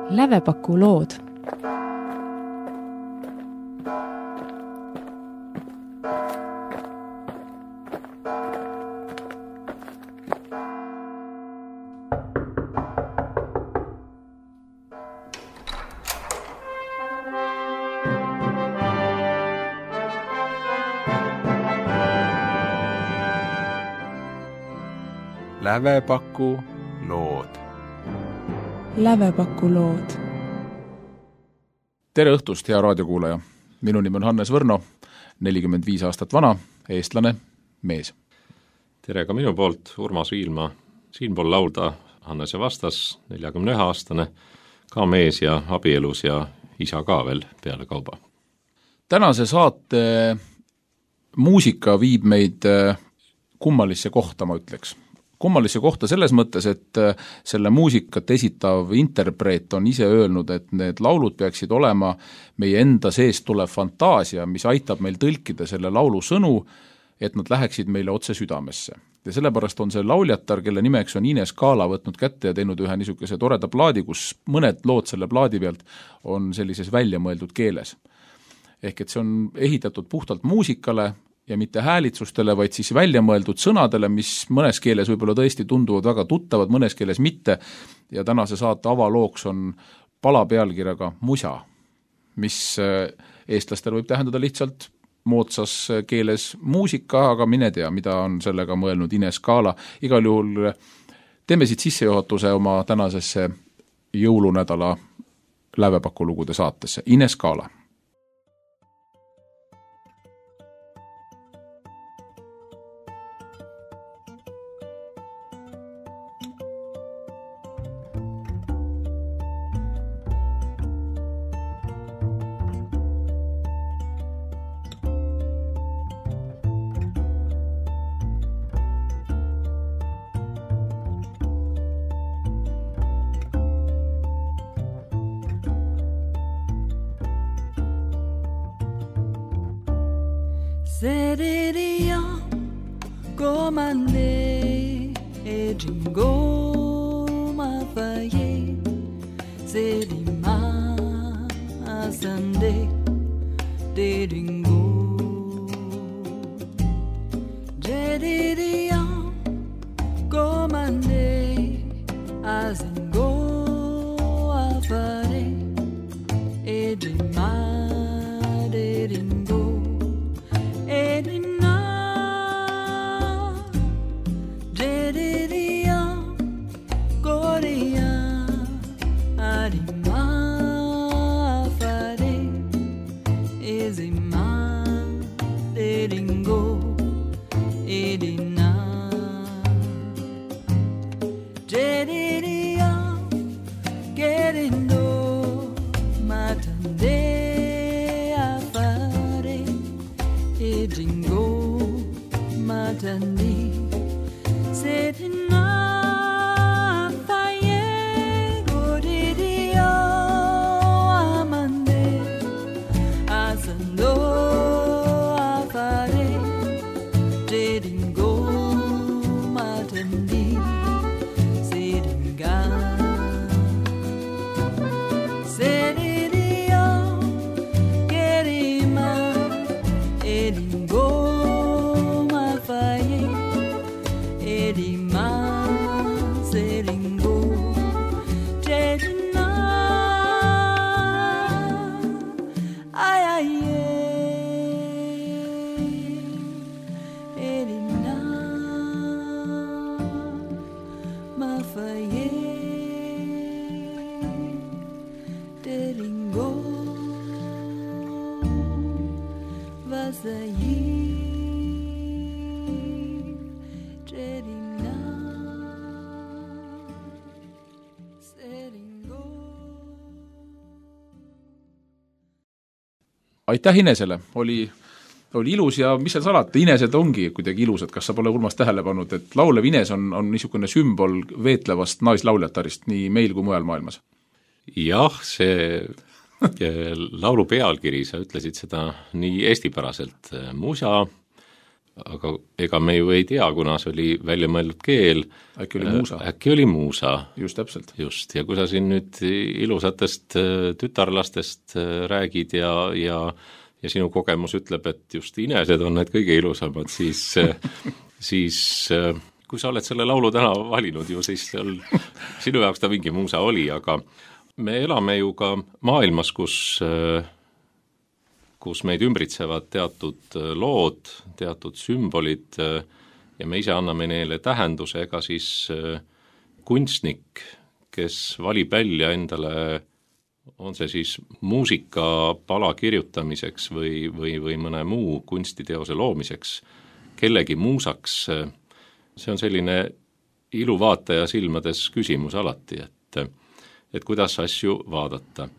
Lävepaku lood. Lävepaku lood. Lävepaku lood. Tere õhtust, hea raadiokuulaja. Minu nimi on Hannes Võrno, 45 aastat vana, eestlane, mees. Tere ka minu poolt, Urmas Viilma, siinpool laulda Hannese vastas, 41-aastane, ka mees ja abielus ja isa ka veel peale kauba. Tänase saate muusika viib meid kummalisse kohta, ma ütleks. Kummalisse kohta selles mõttes, et selle muusikat esitav interpreet on ise öelnud, et need laulud peaksid olema meie enda seest tulev fantaasia, mis aitab meil tõlkida selle laulu sõnu, et nad läheksid meile otse südamesse. Ja sellepärast on see lauljatar, kelle nimeks on Ines Kaala, võtnud kätte ja teinud ühe niisuguse toreda plaadi, kus mõned lood selle plaadi pealt on sellises väljamõeldud keeles. Ehk et see on ehitatud puhtalt muusikale ja mitte häälitsustele, vaid siis väljamõeldud sõnadele, mis mõnes keeles võib-olla tõesti tunduvad väga tuttavad, mõnes keeles mitte, ja tänase saate avalooks on pala pealkirjaga Musa, mis eestlastel võib tähendada lihtsalt moodsas keeles muusika, aga mine tea, mida on sellega mõelnud Ines Kaala. Igal juhul teeme siit sissejuhatuse oma tänasesse jõulunädala Lävepaku lugude saatesse. Ines Kaala. Sereria comande e jingo mafaye serima asande de jingo Sereria comande azingo afare e jima de jingo Edina Jedidia Korea Adima Fare Ezima Dedingo Edina Jedidia Gerindo Matande Jingo matandi setina faye godidio amande asando afare jedingo matandi sedinga sedidio gerima edingo mafaye edima seringo jedina ayaye edina mafaye deringo vasayi jedina seringo. Aitäh Inesele, oli ilus ja mis seal salata, Inesed ongi kuidagi ilusad, kas sa pole Urmas tähele pannud, et laulev Ines on niisugune sümbol veetlevast naislauljatarist nii meil kui mujal maailmas? Jah, see laulu pealkiri, sa ütlesid seda nii eestipäraselt, Musa, aga ega me ju ei tea, kuna see oli välja mõeldud keel. Äkki oli muusa. Äkki oli muusa. Just täpselt. Just, ja kui sa siin nüüd ilusatest tütarlastest räägid ja sinu kogemus ütleb, et just inesed on need kõige ilusamad, siis kui sa oled selle laulu täna valinud ju, siis sinu jaoks ta mingi muusa oli, aga me elame ju ka maailmas, kus meid ümbritsevad teatud lood, teatud sümbolid ja me ise anname neile tähenduse, ega siis kunstnik, kes valib välja endale, on see siis muusikapala kirjutamiseks või mõne muu kunstiteose loomiseks, kellegi muusaks, see on selline iluvaataja silmades küsimus alati, et kuidas asju vaadata.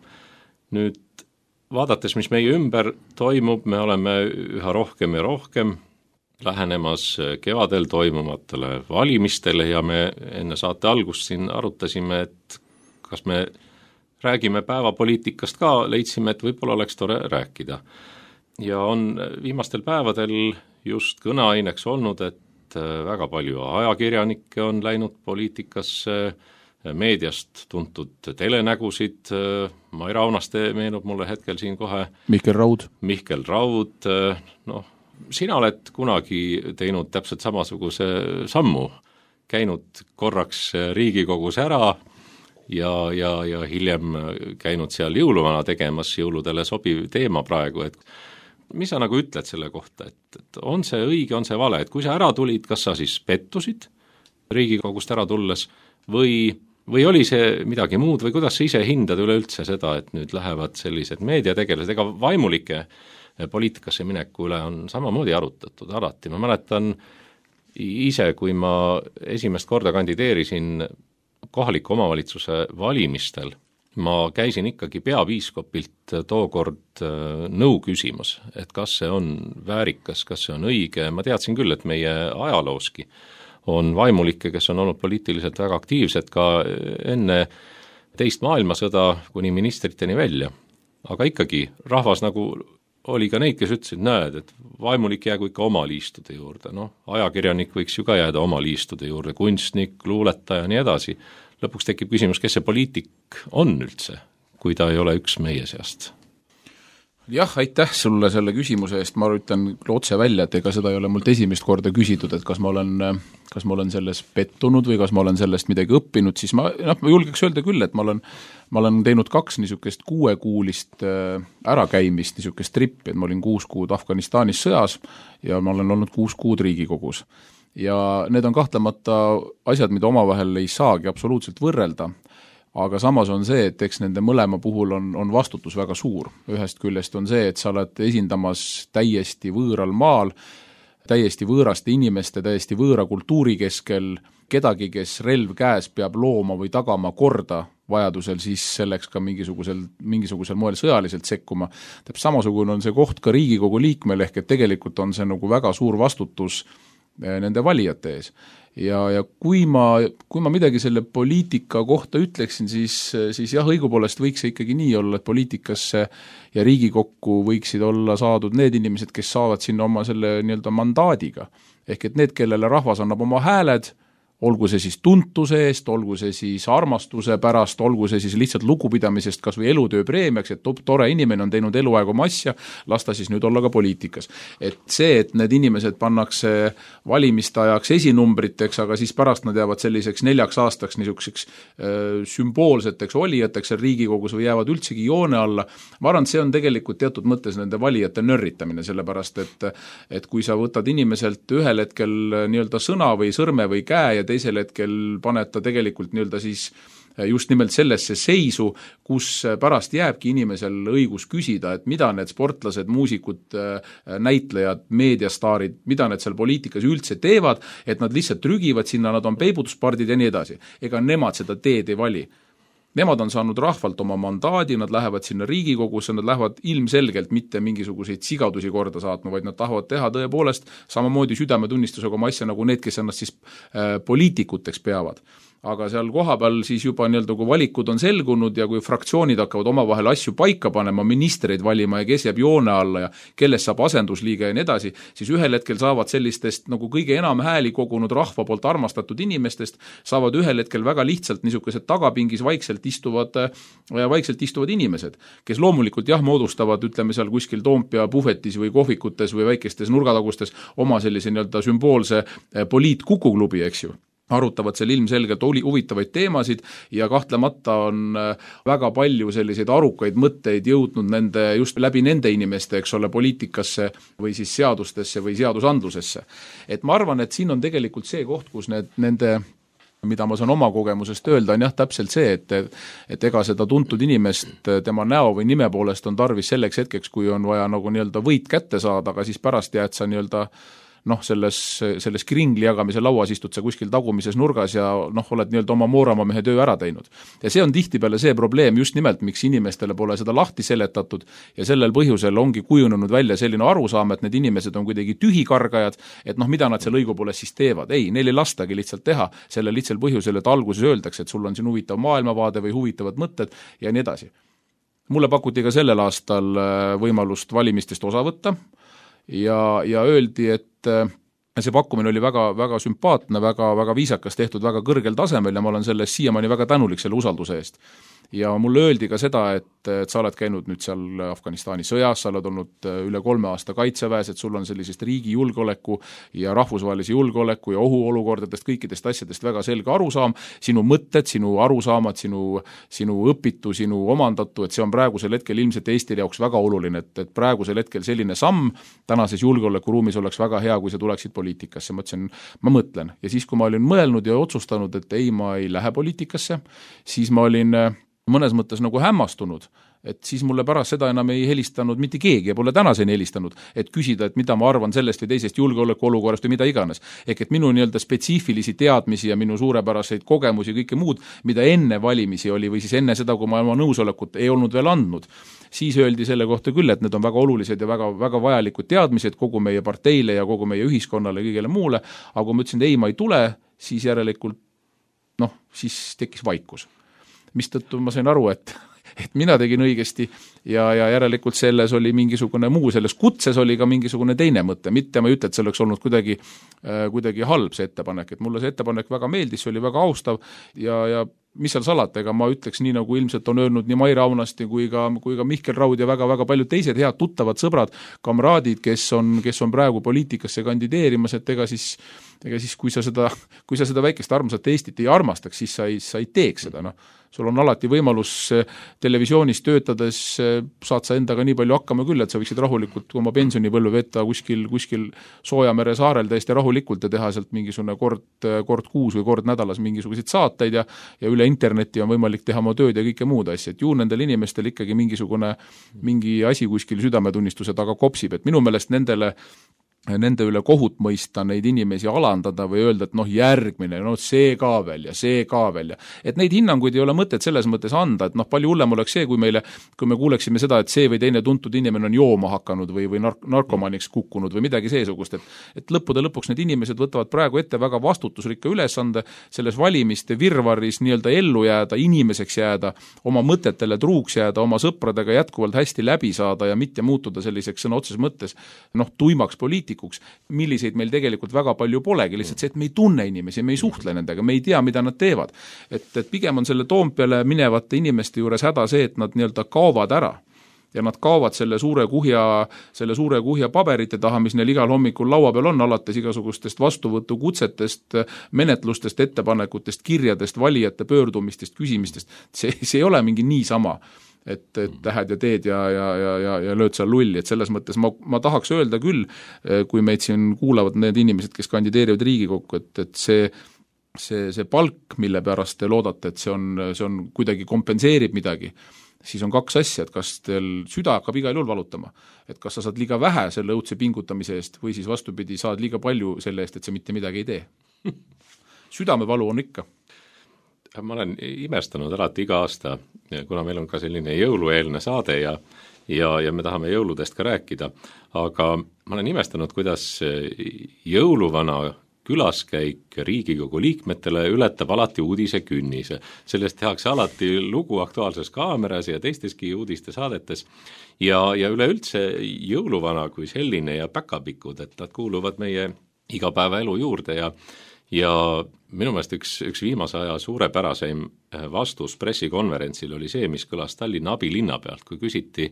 Nüüd vaadates, mis meie ümber toimub, me oleme üha rohkem ja rohkem lähenemas kevadel toimumatele valimistele ja me enne saate algust siin arutasime, et kas me räägime päevapoliitikast ka, leidsime, et võib-olla oleks tore rääkida. Ja on viimastel päevadel just kõneaineks olnud, et väga palju ajakirjanikke on läinud poliitikasse, meediast tuntud telenägusid, Mai Raunaste meenub mulle hetkel siin kohe. Mihkel Raud, sina oled kunagi teinud täpselt samasuguse sammu, käinud korraks Riigikogus ära ja hiljem käinud seal jõuluvana tegemas, jõuludele sobiv teema praegu, et mis sa nagu ütled selle kohta, et on see õige, on see vale, et kui sa ära tulid, kas sa siis pettusid Riigikogust ära tulles või oli see midagi muud või kuidas sa ise hindad üleüldse seda, et nüüd lähevad sellised meediategelased, ega vaimulike poliitikasse mineku üle on samamoodi arutatud alati. Ma mäletan ise, kui ma esimest korda kandideerisin kohaliku omavalitsuse valimistel, ma käisin ikkagi peapiiskopilt tookord nõu küsimas, et kas see on väärikas, kas see on õige, ma teadsin küll, et meie ajalooski on vaimulikke, kes on olnud poliitiliselt väga aktiivsed ka enne teist maailmasõda kuni ministriteni välja. Aga ikkagi rahvas nagu oli ka neid, kes ütlesid, näed, et vaimulik jäägu ikka oma liistude juurde. Ajakirjanik võiks ju ka jääda oma liistude juurde, kunstnik, luuletaja ja nii edasi. Lõpuks tekib küsimus, kes see poliitik on üldse, kui ta ei ole üks meie seast. Jah, aitäh sulle selle küsimuse eest, ma ütlen otse välja, et ega seda ei ole mult esimest korda küsitud, et kas ma olen selles pettunud või kas ma olen sellest midagi õppinud, siis ma julgeks öelda küll, et ma olen teinud 2 niisugust 6-kuulist ärakäimist, niisugust trippi, et ma olin 6 kuud Afganistanis sõjas ja ma olen olnud 6 kuud Riigikogus. Ja need on kahtlemata asjad, mida omavahel ei saagi absoluutselt võrrelda, aga samas on see, et eks nende mõlema puhul on vastutus väga suur. Ühest küljest on see, et sa oled esindamas täiesti võõral maal, täiesti võõraste inimeste, täiesti võõra kultuuri keskel, kedagi, kes relv käes peab looma või tagama korda, vajadusel siis selleks ka mingisugusel moel sõjaliselt sekkuma. Täpselt samasugune on see koht ka Riigikogu liikmel, ehk et tegelikult on see nagu väga suur vastutus nende valijate ees. Ja kui ma midagi selle poliitika kohta ütleksin, siis jah, õigupoolest võiks see ikkagi nii olla, et poliitikasse ja Riigikokku võiksid olla saadud need inimesed, kes saavad sinna oma selle nii-öelda mandaadiga. Ehk et need, kellele rahvas annab oma hääled, olgu see siis tuntuse eest, olgu see siis armastuse pärast, olgu see siis lihtsalt lugupidamisest kas või elutöö preemiaks, et tore inimene on teinud eluaeg oma asja, las ta siis nüüd olla ka poliitikas. Et see, et need inimesed pannakse valimiste ajaks esinumbriteks, aga siis pärast nad jäävad selliseks 4 aastaks niisuguseks sümboolseteks olijateks Riigikogus või jäävad üldsegi joone alla, ma arvan, see on tegelikult teatud mõttes nende valijate nörritamine, sellepärast et kui sa võtad inimeselt ühel hetkel nii-öelda sõna või sõrme või käe ja teisel hetkel paned ta tegelikult nii-öelda siis just nimelt sellesse seisu, kus pärast jääbki inimesel õigus küsida, et mida need sportlased, muusikud, näitlejad, meediastaarid, mida need seal poliitikas üldse teevad, et nad lihtsalt trügivad sinna, nad on peibutuspardid ja nii edasi. Ega nemad seda teed ei vali. Nemad on saanud rahvalt oma mandaadi, nad lähevad sinna Riigikogusse, nad lähevad ilmselgelt mitte mingisuguseid sigadusi korda saatma, vaid nad tahavad teha tõepoolest samamoodi südametunnistusega oma asja nagu need, kes ennast siis poliitikuteks peavad. aga seal kohapeal siis juba nii-öelda, kui valikud on selgunud ja kui fraktsioonid hakkavad omavahel asju paika panema, ministreid valima ja kes jääb joone alla ja kellest saab asendusliige ja nii edasi, siis ühel hetkel saavad sellistest nagu kõige enam hääli kogunud rahva poolt armastatud inimestest, saavad ühel hetkel väga lihtsalt niisugused tagapingis vaikselt istuvad inimesed, kes loomulikult moodustavad, ütleme seal kuskil Toompea puhvetis või kohvikutes või väikestes nurgatagustes oma sellise nii-öelda sümboolse poliitkukuklubi, eks ju. Arutavad seal ilmselgelt huvitavaid teemasid ja kahtlemata on väga palju selliseid arukaid mõtteid jõudnud just läbi nende inimeste, eks ole, poliitikasse või siis seadustesse või seadusandlusesse. Et ma arvan, et siin on tegelikult see koht, kus nende mida ma saan oma kogemusest öelda, on täpselt see, et ega seda tuntud inimest tema näo või nime poolest on tarvis selleks hetkeks, kui on vaja nagu nii-öelda võit kätte saada, aga siis pärast jääd sa nii-öelda selles kringli jagamise lauas istud sa kuskil tagumises nurgas ja oled nii-öelda oma moorama mehe töö ära teinud. Ja see on tihtipeale see probleem just nimelt, miks inimestele pole seda lahti seletatud ja sellel põhjusel ongi kujunenud välja selline arusaam, et need inimesed on kuidagi tühikargajad, et mida nad seal õigupoolest siis teevad. Ei, neil ei lastagi lihtsalt teha selle lihtsal põhjusel, et alguses öeldakse, et sul on siin huvitav maailmavaade või huvitavad mõtted ja nii edasi. Mulle pakuti ka sellel aastal võimalust valimistest osa võtta ja öeldi, et see pakkumine oli väga, väga sümpaatne, väga, väga viisakas tehtud, väga kõrgel tasemel ja ma olen selles siiamaani väga tänulik selle usalduse eest. Ja mulle öeldi ka seda, et sa oled käinud nüüd seal Afganistani sõjas, sa oled olnud üle 3 aasta kaitseväes, et sul on sellisest riigi julgeoleku ja rahvusvahelise julgeoleku ja ohuolukordadest, kõikidest asjadest väga selge arusaam, sinu mõtted, sinu arusaamad, sinu õpitu, sinu omandatu, et see on praegusel hetkel ilmselt Eestile jaoks väga oluline, et praegusel hetkel selline samm tänases julgeolekuruumis oleks väga hea, kui sa tuleksid poliitikasse. Ma mõtlen. Ja siis, kui ma olin mõelnud ja otsustanud, et ei, ma ei lähe poliitikasse, siis ma olin mõnes mõttes nagu hämmastunud, et siis mulle pärast seda enam ei helistanud mitte keegi ja pole tänaseni helistanud, et küsida, et mida ma arvan sellest või teisest julgeolekuolukorrast või mida iganes. Ehk et minu nii-öelda spetsiifilisi teadmisi ja minu suurepäraseid kogemusi ja kõike muud, mida enne valimisi oli või siis enne seda, kui ma oma nõusolekut ei olnud veel andnud, siis öeldi selle kohta küll, et need on väga olulised ja väga, väga vajalikud teadmised kogu meie parteile ja kogu meie ühiskonnale ja kõigele muule, aga kui ma ütlesin, et ei, ma ei tule, siis järelikult siis tekkis vaikus. Mistõttu ma sain aru, et mina tegin õigesti ja järelikult selles oli mingisugune muu, selles kutses oli ka mingisugune teine mõte, mitte ma ei ütle, et see oleks olnud kuidagi halb see ettepanek, et mulle see ettepanek väga meeldis, see oli väga austav ja mis seal salata, ega ma ütleks nii, nagu ilmselt on öelnud nii Maire Aunasti kui ka Mihkel Raud ja väga-väga paljud teised head tuttavad sõbrad, kamraadid, kes on praegu poliitikasse kandideerimas, et ega siis kui sa seda väikest armsat Eestit ei armastaks, siis sa ei teeks seda, sul on alati võimalus televisioonis töötades, saad sa endaga nii palju hakkama küll, et sa võiksid rahulikult oma pensionipõlve veeta kuskil Soojamere saarel täiesti rahulikult ja teha sealt mingisugune kord kuus või kord nädalas mingisuguseid saateid ja üle interneti on võimalik teha oma tööd ja kõike muud asja, et ju nendel inimestel ikkagi mingi asi kuskil südametunnistuse taga kopsib, et minu meelest nende üle kohut mõista, neid inimesi alandada või öelda, et järgmine, see ka veel ja see ka veel ja et neid hinnanguid ei ole mõtet selles mõttes anda, et palju hullem oleks see, kui me kuuleksime seda, et see või teine tuntud inimene on jooma hakanud või narkomaniks kukkunud või midagi seesugust, et lõppude lõpuks need inimesed võtavad praegu ette väga vastutusrikka ülesande selles valimiste virvarris nii-öelda ellu jääda, inimeseks jääda, oma mõtetele truuks jääda, oma sõpradega jätkuvalt hästi läbi saada ja mitte muutuda selliseks sõna otseses mõttes tuimaks poliitikuks, milliseid meil tegelikult väga palju polegi, lihtsalt see, et me ei tunne inimesi, me ei suhtle nendega, me ei tea, mida nad teevad. Et pigem on selle Toompeale minevate inimeste juures häda see, et nad nii-öelda kaovad ära ja nad kaovad selle suure kuhja paberite taha, mis neil igal hommikul laua peal on, alates igasugustest vastuvõtukutsetest, menetlustest, ettepanekutest, kirjadest, valijate pöördumistest, küsimistest. See ei ole mingi niisama, et lähed ja teed ja lööd seal lulli, et selles mõttes ma tahaks öelda küll, kui meid siin kuulavad need inimesed, kes kandideerivad Riigikokku, et see palk, mille pärast te loodate, et see on kuidagi kompenseerib midagi, siis on 2 asja, et kas teil süda hakkab igal juhul valutama, et kas sa saad liiga vähe selle õudse pingutamise eest või siis vastupidi, saad liiga palju selle eest, et sa mitte midagi ei tee. Südamevalu on ikka. Ma olen imestanud alati iga aasta, kuna meil on ka selline jõulueelne saade ja me tahame jõuludest ka rääkida, aga ma olen imestanud, kuidas jõuluvana külaskäik Riigikogu liikmetele ületab alati uudisekünnise. Sellest tehakse alati lugu Aktuaalses Kaameras ja teisteski uudistesaadetes ja üleüldse jõuluvana kui selline ja päkapikud, et nad kuuluvad meie igapäevaelu juurde ja minu meelest üks viimase aja suurepäraseim vastus pressikonverentsil oli see, mis kõlas Tallinna abilinna pealt, kui küsiti,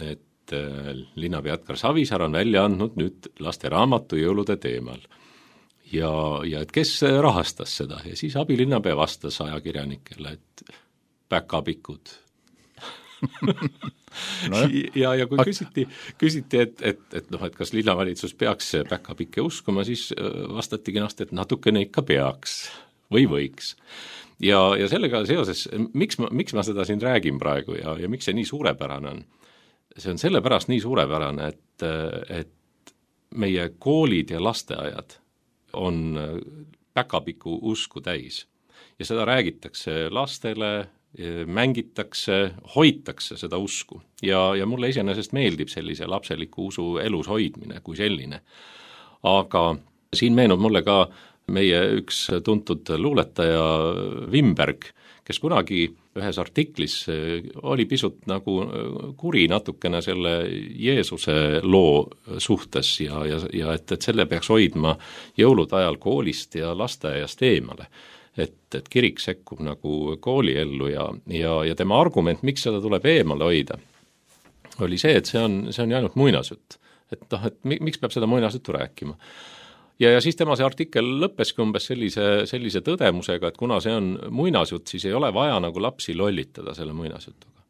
et linnapea Edgar Savisaar on välja andnud nüüd lasteraamatu jõulude teemal ja et kes rahastas seda ja siis abilinnapea vastas ajakirjanikele, et päkapikud. No, ja kui küsiti, et kas linnavalitsus peaks päkapikke uskuma, siis vastati kenasti, et natukene ikka peaks või võiks. Ja sellega seoses, miks ma seda siin räägin praegu ja miks see nii suurepärane on? See on sellepärast nii suurepärane, et meie koolid ja lasteaiad on päkapiku usku täis ja seda räägitakse lastele, mängitakse, hoitakse seda usku ja mulle iseenesest meeldib sellise lapseliku usu elus hoidmine kui selline. Aga siin meenub mulle ka meie üks tuntud luuletaja Wimberg, kes kunagi ühes artiklis oli pisut nagu kuri natukene selle Jeesuse loo suhtes ja et selle peaks hoidma jõulude ajal koolist ja lasteaiast eemale. Et kirik sekkub nagu kooliellu ja tema argument, miks seda tuleb eemale hoida, oli see, et see on ainult muinasjutt. Et miks peab seda muinasjuttu rääkima? Ja siis tema see artikkel lõppeski umbes sellise tõdemusega, et kuna see on muinasjutt, siis ei ole vaja nagu lapsi lollitada selle muinasjutuga.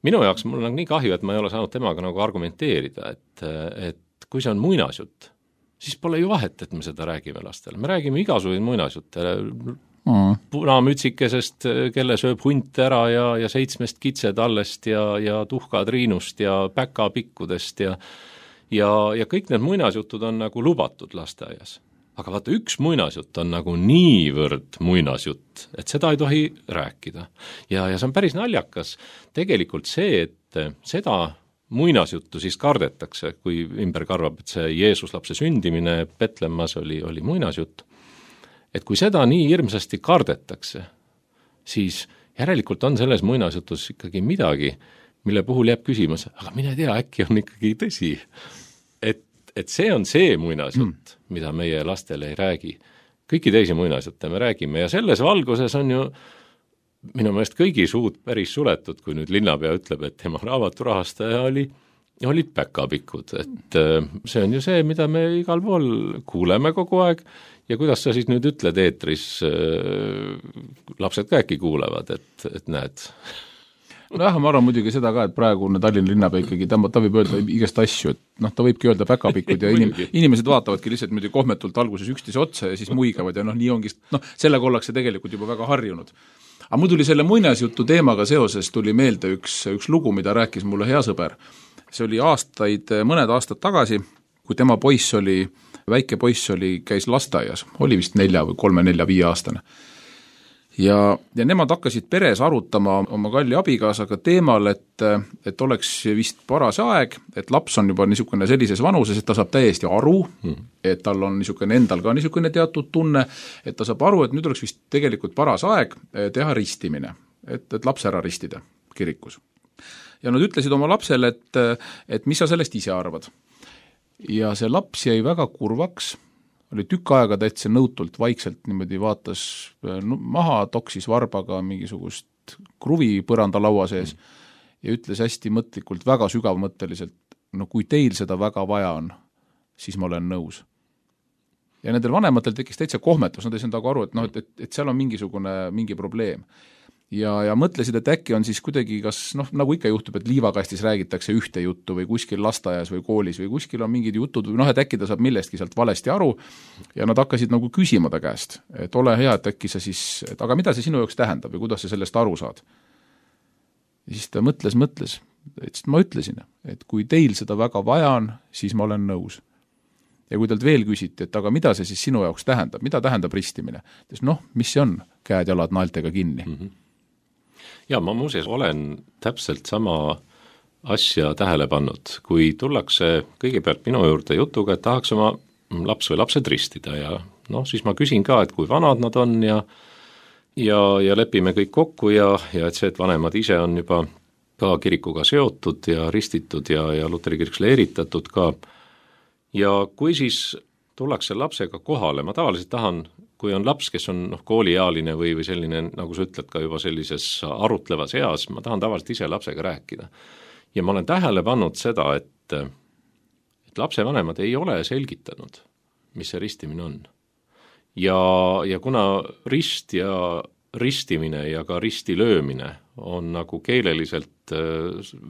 Minu jaoks mul on nii kahju, et ma ei ole saanud temaga nagu argumenteerida, et kui see on muinasjutt, siis pole ju vahet, et me seda räägime lastele. Me räägime igasuguseid muinasjutte, punamütsikesest, kelle sööb hunt ära ja 7 kitsetallest ja tuhkatriinust ja päkapikkudest ja kõik need muinasjutud on nagu lubatud lasteaias. Aga vaata, üks muinasjutt on nagu niivõrd muinasjutt, et seda ei tohi rääkida. Ja see on päris naljakas tegelikult see, et seda muinasjuttu siis kardetakse, kui Wimberg arvab, et see Jeesuslapse sündimine Petlemmas oli muinasjutt. Et kui seda nii hirmsasti kardetakse, siis järelikult on selles muinasjutus ikkagi midagi, mille puhul jääb küsimus, aga mine tea, äkki on ikkagi tõsi. Et see on see muinasjutt, mida meie lastele ei räägi. Kõiki teisi muinasjutte me räägime ja selles valguses on ju minu meelest kõigi suud päris suletud, kui nüüd linnapea ütleb, et tema raamaturahastaja olid päkapikud. Et see on ju see, mida me igal pool kuuleme kogu aeg ja kuidas sa siis nüüd ütled eetris, lapsed ka äkki kuulevad, et näed. Nojah, ma arvan muidugi seda ka, et praegune Tallinna linnapea ikkagi, ta võib öelda igast asju, et ta võibki öelda päkapikud ja inimesed vaatavadki lihtsalt muidugi kohmetult alguses üksteise otsa ja siis muigavad ja nii ongi, sellega ollakse tegelikult juba väga harjunud. Aga mul tuli selle muinasjutu teemaga seoses tuli meelde üks lugu, mida rääkis mulle hea sõber. See oli mõned aastad tagasi, kui tema väike poiss käis lasteaias, oli vist 3, 4, 5 aastane. Ja nemad hakkasid peres arutama oma kalli abikaasaga teemal, et oleks vist paras aeg, et laps on juba niisugune sellises vanuses, et ta saab täiesti aru, et tal on endal ka niisugune teatud tunne, et ta saab aru, et nüüd oleks vist tegelikult paras aeg teha ristimine, et laps ära ristida kirikus. Ja nad ütlesid oma lapsele, et mis sa sellest ise arvad. Ja see laps jäi väga kurvaks, oli tükk aega täitsa nõutult vaikselt niimoodi vaatas maha, toksis varbaga mingisugust kruvi põranda laua sees ja ütles hästi mõtlikult, väga sügavmõtteliselt, kui teil seda väga vaja on, siis ma olen nõus. Ja nendel vanematel tekkis täitsa kohmetus, nad ei saanud aru, et seal on mingi probleem. Ja mõtlesid, et äkki on siis kuidagi kas, nagu ikka juhtub, et liivakastis räägitakse ühte juttu või kuskil lasteaias või koolis või kuskil on mingid jutud või et äkki ta saab millestki sealt valesti aru ja nad hakkasid nagu küsima ta käest, et ole hea, et äkki sa siis, aga mida see sinu jaoks tähendab või kuidas sa sellest aru saad. Ja siis ta mõtles, et ma ütlesin, et kui teil seda väga vaja on, siis ma olen nõus. Ja kui talt veel küsiti, et aga mida see siis sinu jaoks tähendab, mida tähendab ristimine? Mis see on? Käed jalad naeltega kinni. Ja ma muuseas olen täpselt sama asja tähele pannud, kui tullakse kõigepealt minu juurde jutuga, et tahaks oma laps või lapsed ristida ja siis ma küsin ka, et kui vanad nad on ja lepime kõik kokku ja et see, et vanemad ise on juba ka kirikuga seotud ja ristitud ja Luteri kiriks leeritatud ka. Ja kui siis tullakse lapsega kohale, ma tavaliselt tahan, kui on laps, kes on kooliealine või selline, nagu sa ütled ka juba sellises arutlevas eas, ma tahan tavaliselt ise lapsega rääkida. Ja ma olen tähele pannud seda, et lapsevanemad ei ole selgitanud, mis see ristimine on. Ja kuna rist ja ristimine ja ka risti löömine on nagu keeleliselt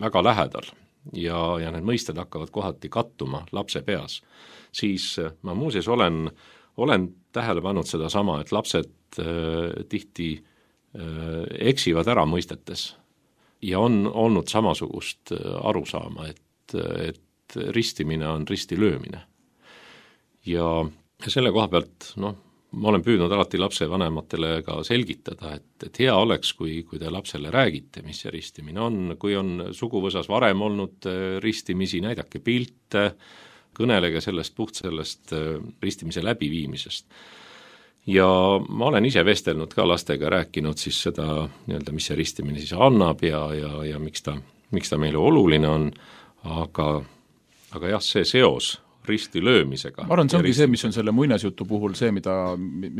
väga lähedal ja need mõisted hakkavad kohati kattuma lapse peas, siis ma muuseas olen tähele pannud seda sama, et lapsed tihti eksivad ära mõistetes ja on olnud samasugust arusaama, et ristimine on risti löömine. Ja selle koha pealt, ma olen püüdnud alati lapsevanematele ka selgitada, et hea oleks, kui te lapsele räägite, mis see ristimine on, kui on suguvõsas varem olnud ristimisi, näidake pilte, kõnelege sellest ristimise läbiviimisest. Ja ma olen ise vestelnud ka lastega, rääkinud siis seda, mis see ristimine siis annab ja miks ta meile oluline on, aga jah, see seos risti löömisega. Ma arvan, see ongi see, mis on selle muinasjutu puhul see, mida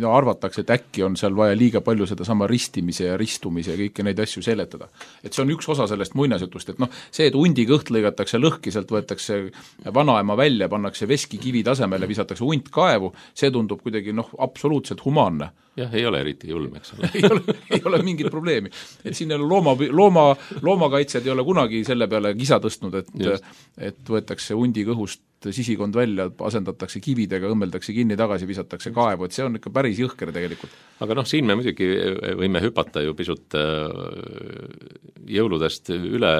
arvatakse, et äkki on seal vaja liiga palju seda sama ristimise ja ristumise ja kõiki neid asju seletada. Et see on üks osa sellest muinasjutust, et see, et hundi kõht lõigatakse lõhki, sealt võetakse vanaema välja, pannakse veskikivi tasemele, visatakse hunt kaevu, see tundub kuidagi absoluutselt humaanne. Jah, ei ole eriti julm, eks ole. ei ole mingit probleemi. Et siin loomakaitsjad ei ole kunagi selle peale kisa tõstnud, et võetakse hundi kõhust sisikond välja, asendatakse kividega, õmmeldakse kinni, tagasi visatakse kaevu, et see on ikka päris jõhker tegelikult. Aga siin me muidugi võime hüpata ju pisut jõuludest üle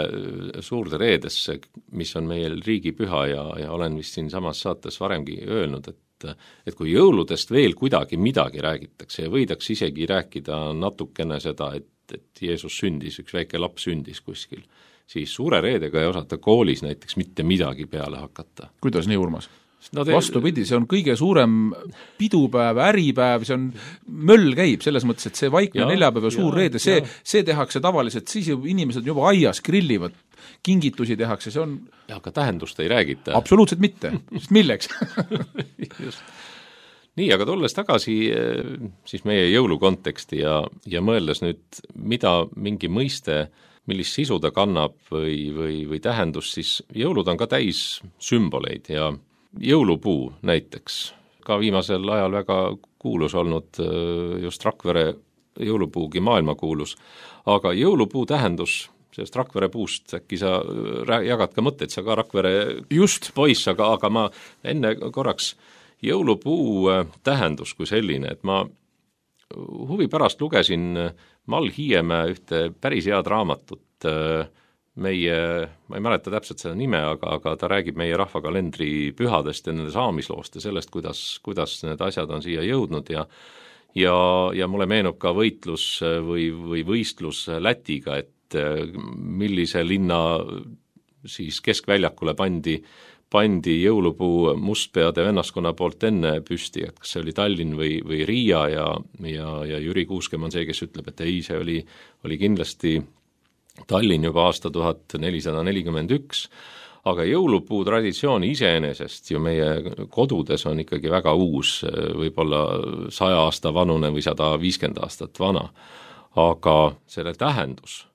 suurde reedesse, mis on meil riigipüha ja olen vist siin samas saates varemgi öelnud, et kui jõuludest veel kuidagi midagi räägitakse ja võidaks isegi rääkida natukene seda, et Jeesus sündis, üks väike laps sündis kuskil, siis suure reedega ei osata koolis näiteks mitte midagi peale hakata. Kuidas nii, Urmas? Vastupidi, see on kõige suurem pidupäev, äripäev, see on möll käib selles mõttes, et see vaikne neljapäev ja suur reede, see tehakse tavaliselt, siis inimesed juba aias grillivad, kingitusi tehakse, see on... Ja aga tähendust ei räägita. Absoluutselt mitte, sest milleks? Just. Nii, aga tulles tagasi siis meie jõulukonteksti ja mõeldes nüüd, mida mingi mõiste, millist sisu ta kannab või tähendus, siis jõulud on ka täis sümboleid ja jõulupuu näiteks, ka viimasel ajal väga kuulus olnud just Rakvere jõulupuugi maailmakuulus, aga jõulupuu tähendus sellest Rakvere puust, äkki sa jagad ka mõtteid, sa ka Rakvere just poiss, aga ma enne korraks jõulupuu tähendus kui selline, et ma huvi pärast lugesin Mall Hiiemäe ühte päris head raamatut ma ei mäleta täpselt seda nime, aga ta räägib meie rahvakalendri pühadest ja nende saamisloost ja sellest, kuidas need asjad on siia jõudnud ja mulle meenub ka võitlus või võistlus Lätiga, et millise linna siis keskväljakule pandi jõulupuu mustpeade vennaskonna poolt enne püsti, et kas see oli Tallinn või Riia ja Jüri Kuuskemm on see, kes ütleb, et ei, see oli kindlasti Tallinn juba aasta 1441, aga jõulupuu traditsioon iseenesest ju meie kodudes on ikkagi väga uus, võib-olla 100 aasta vanune või 150 aastat vana, aga selle tähendus,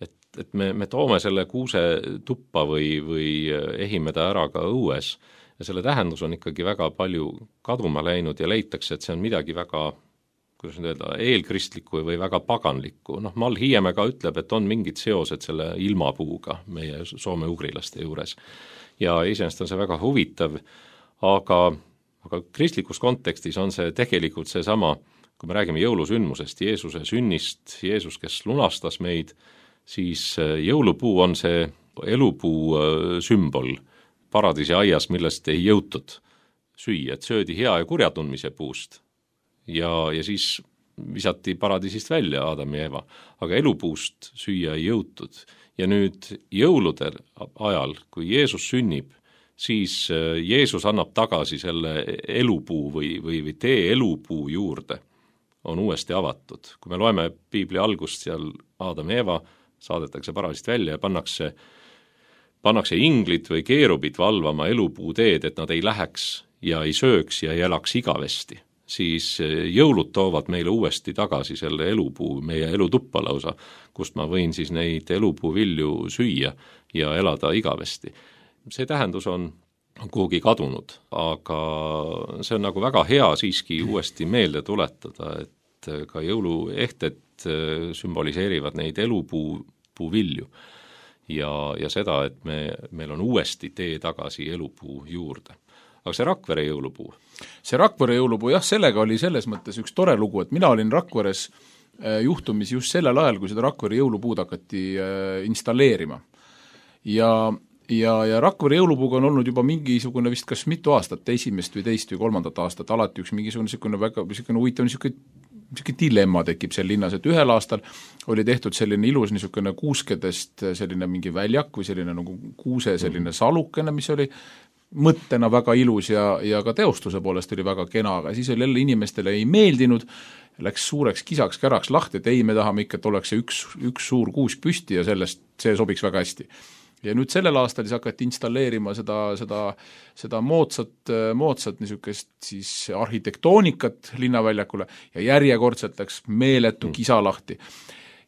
et me toome selle kuuse tuppa või ehime ta ära ka õues ja selle tähendus on ikkagi väga palju kaduma läinud ja leitakse, et see on midagi väga, kuidas nüüd öelda, eelkristlikku või väga paganlikku. Mall Hiiemäe ka ütleb, et on mingid seosed selle ilmapuuga meie soome-ugrilaste juures ja iseenesest on see väga huvitav, aga kristlikus kontekstis on see tegelikult seesama, kui me räägime jõulusündmusest, Jeesuse sünnist, Jeesus, kes lunastas meid, siis jõulupuu on see elupuu sümbol paradiisi aias, millest ei jõutud süüa, et söödi hea ja kurja tundmise puust ja siis visati paradiisist välja Adam ja Eva, aga elupuust süüa ei jõutud. Ja nüüd jõulude ajal, kui Jeesus sünnib, siis Jeesus annab tagasi selle elupuu või tee elupuu juurde on uuesti avatud. Kui me loeme piibli algust, seal Aadam ja Eeva saadetakse paralist välja ja pannakse inglid või keerubid valvama elupuu teed, et nad ei läheks ja ei sööks ja ei elaks igavesti, siis jõulud toovad meile uuesti tagasi selle elupuu, meie elutuppa lausa, kust ma võin siis neid elupuu vilju süüa ja elada igavesti. See tähendus on kuhugi kadunud, aga see on nagu väga hea siiski uuesti meelde tuletada, et ka jõuluehted sümboliseerivad neid elupuu vilju ja seda, et meil on uuesti tee tagasi elupuu juurde. Aga see Rakvere jõulupuu? See Rakvere jõulupuu, jah, sellega oli selles mõttes üks tore lugu, et mina olin Rakveres juhtumis just sellel ajal, kui seda Rakvere jõulupuud hakati installeerima. Ja Rakvere jõulupuuga on olnud juba mingisugune vist kas mitu aastat, esimest või teist või kolmandat aastat, alati üks mingisugune väga huvitav niisugune dilemma tekib seal linnas, et ühel aastal oli tehtud selline ilus niisugune kuuskedest selline mingi väljak või selline nagu kuuse selline salukene, mis oli mõttena väga ilus ja ka teostuse poolest oli väga kena, aga siis oli jälle inimestele ei meeldinud, läks suureks kisaks-käraks lahti, et ei, me tahame ikka, et oleks see üks suur kuusk püsti ja see sobiks väga hästi. Ja nüüd sellel aastal siis hakati installeerima seda moodsat niisugust siis arhitektoonikat linnaväljakule ja järjekordselt läks meeletu kisa lahti.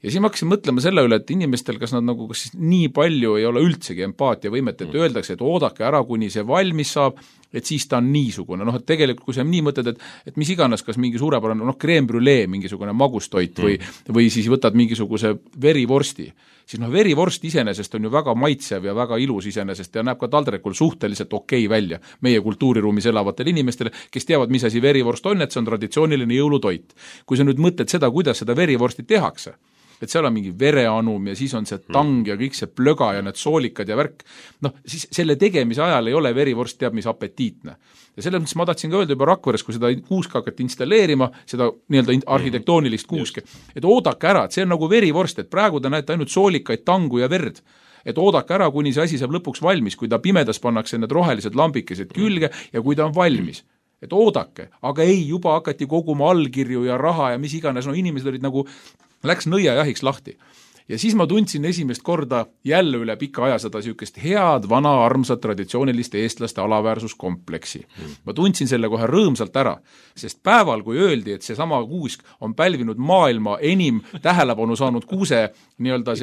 Ja siis ma hakkasin mõtlema selle üle, et inimestel kas siis nii palju ei ole üldsegi empaatiavõimet, et öeldakse, et oodake ära, kuni see valmis saab, et siis ta on niisugune. Et tegelikult, kui sa nii mõtled, et mis iganes, kas mingi suurepärane, crème brûlée, mingisugune magustoit või siis võtad mingisuguse verivorsti, siis verivorst iseenesest on ju väga maitsev ja väga ilus iseenesest ja näeb ka taldrikul suhteliselt okei välja meie kultuuriruumis elavatele inimestele, kes teavad, mis asi verivorst on, et see on traditsiooniline jõulutoit. Kui sa nüüd mõtled seda, kuidas seda verivorsti tehakse, et seal on mingi vereanum ja siis on see tang ja kõik see plöga ja need soolikad ja värk, siis selle tegemise ajal ei ole verivorst teab mis apetiitne. Ja selles mõttes ma tahtsin ka öelda juba Rakveres, kui seda kuuska hakati installeerima, seda nii-öelda arhitektoonilist kuuske, et oodake ära, et see on nagu verivorst, et praegu te näete ainult soolikaid, tangu ja verd, et oodake ära, kuni see asi saab lõpuks valmis, kui ta pimedas pannakse need rohelised lambikesed külge ja kui ta on valmis. Et oodake, aga ei, juba hakati koguma allkirju ja raha ja mis iganes, inimesed olid nagu läks nõiajahiks lahti. Ja siis ma tundsin esimest korda jälle üle pika aja seda niisugust head, vana, armsat, traditsiooniliste eestlaste alaväärsuskompleksi. Ma tundsin selle kohe rõõmsalt ära, sest päeval, kui öeldi, et see sama kuusk on pälvinud maailma enim tähelepanu saanud kuuse nii-öelda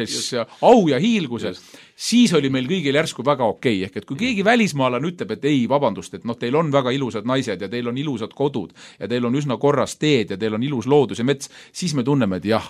au ja hiilguse, siis oli meil kõigil järsku väga okei. Ehk et kui keegi välismaalane ütleb, et ei, vabandust, et teil on väga ilusad naised ja teil on ilusad kodud ja teil on üsna korras teed ja teil on ilus loodus ja mets, siis me tunneme, et jah,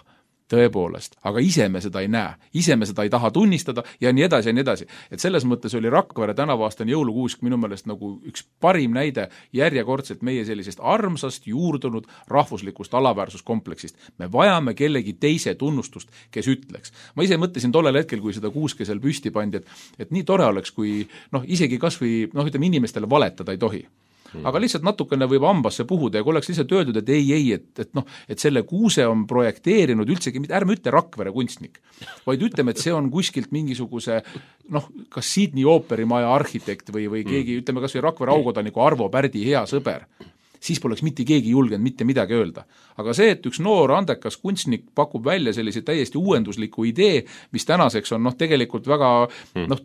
tõepoolest, aga ise me seda ei näe, ise me seda ei taha tunnistada ja nii edasi ja nii edasi. Et selles mõttes oli Rakvere tänavaastane jõulukuusk minu meelest nagu üks parim näide järjekordselt meie sellisest armsast, juurdunud rahvuslikust alaväärsuskompleksist. Me vajame kellegi teise tunnustust, kes ütleks. Ma ise mõtlesin tollel hetkel, kui seda kuuske seal püsti pandi, et nii tore oleks, kui isegi kas või inimestele valetada ei tohi. Aga lihtsalt natukene võib hambasse puhuda ja kui oleks lihtsalt öeldud, et ei, et selle kuuse on projekteerinud üldsegi, ärme ütle Rakvere kunstnik, vaid ütleme, et see on kuskilt mingisuguse kas Sydney ooperimaja arhitekt või keegi, ütleme kas või Rakvere aukodaniku Arvo Pärdi hea sõber, siis poleks mitte keegi julgenud mitte midagi öelda. Aga see, et üks noor andekas kunstnik pakub välja sellise täiesti uuendusliku idee, mis tänaseks on tegelikult väga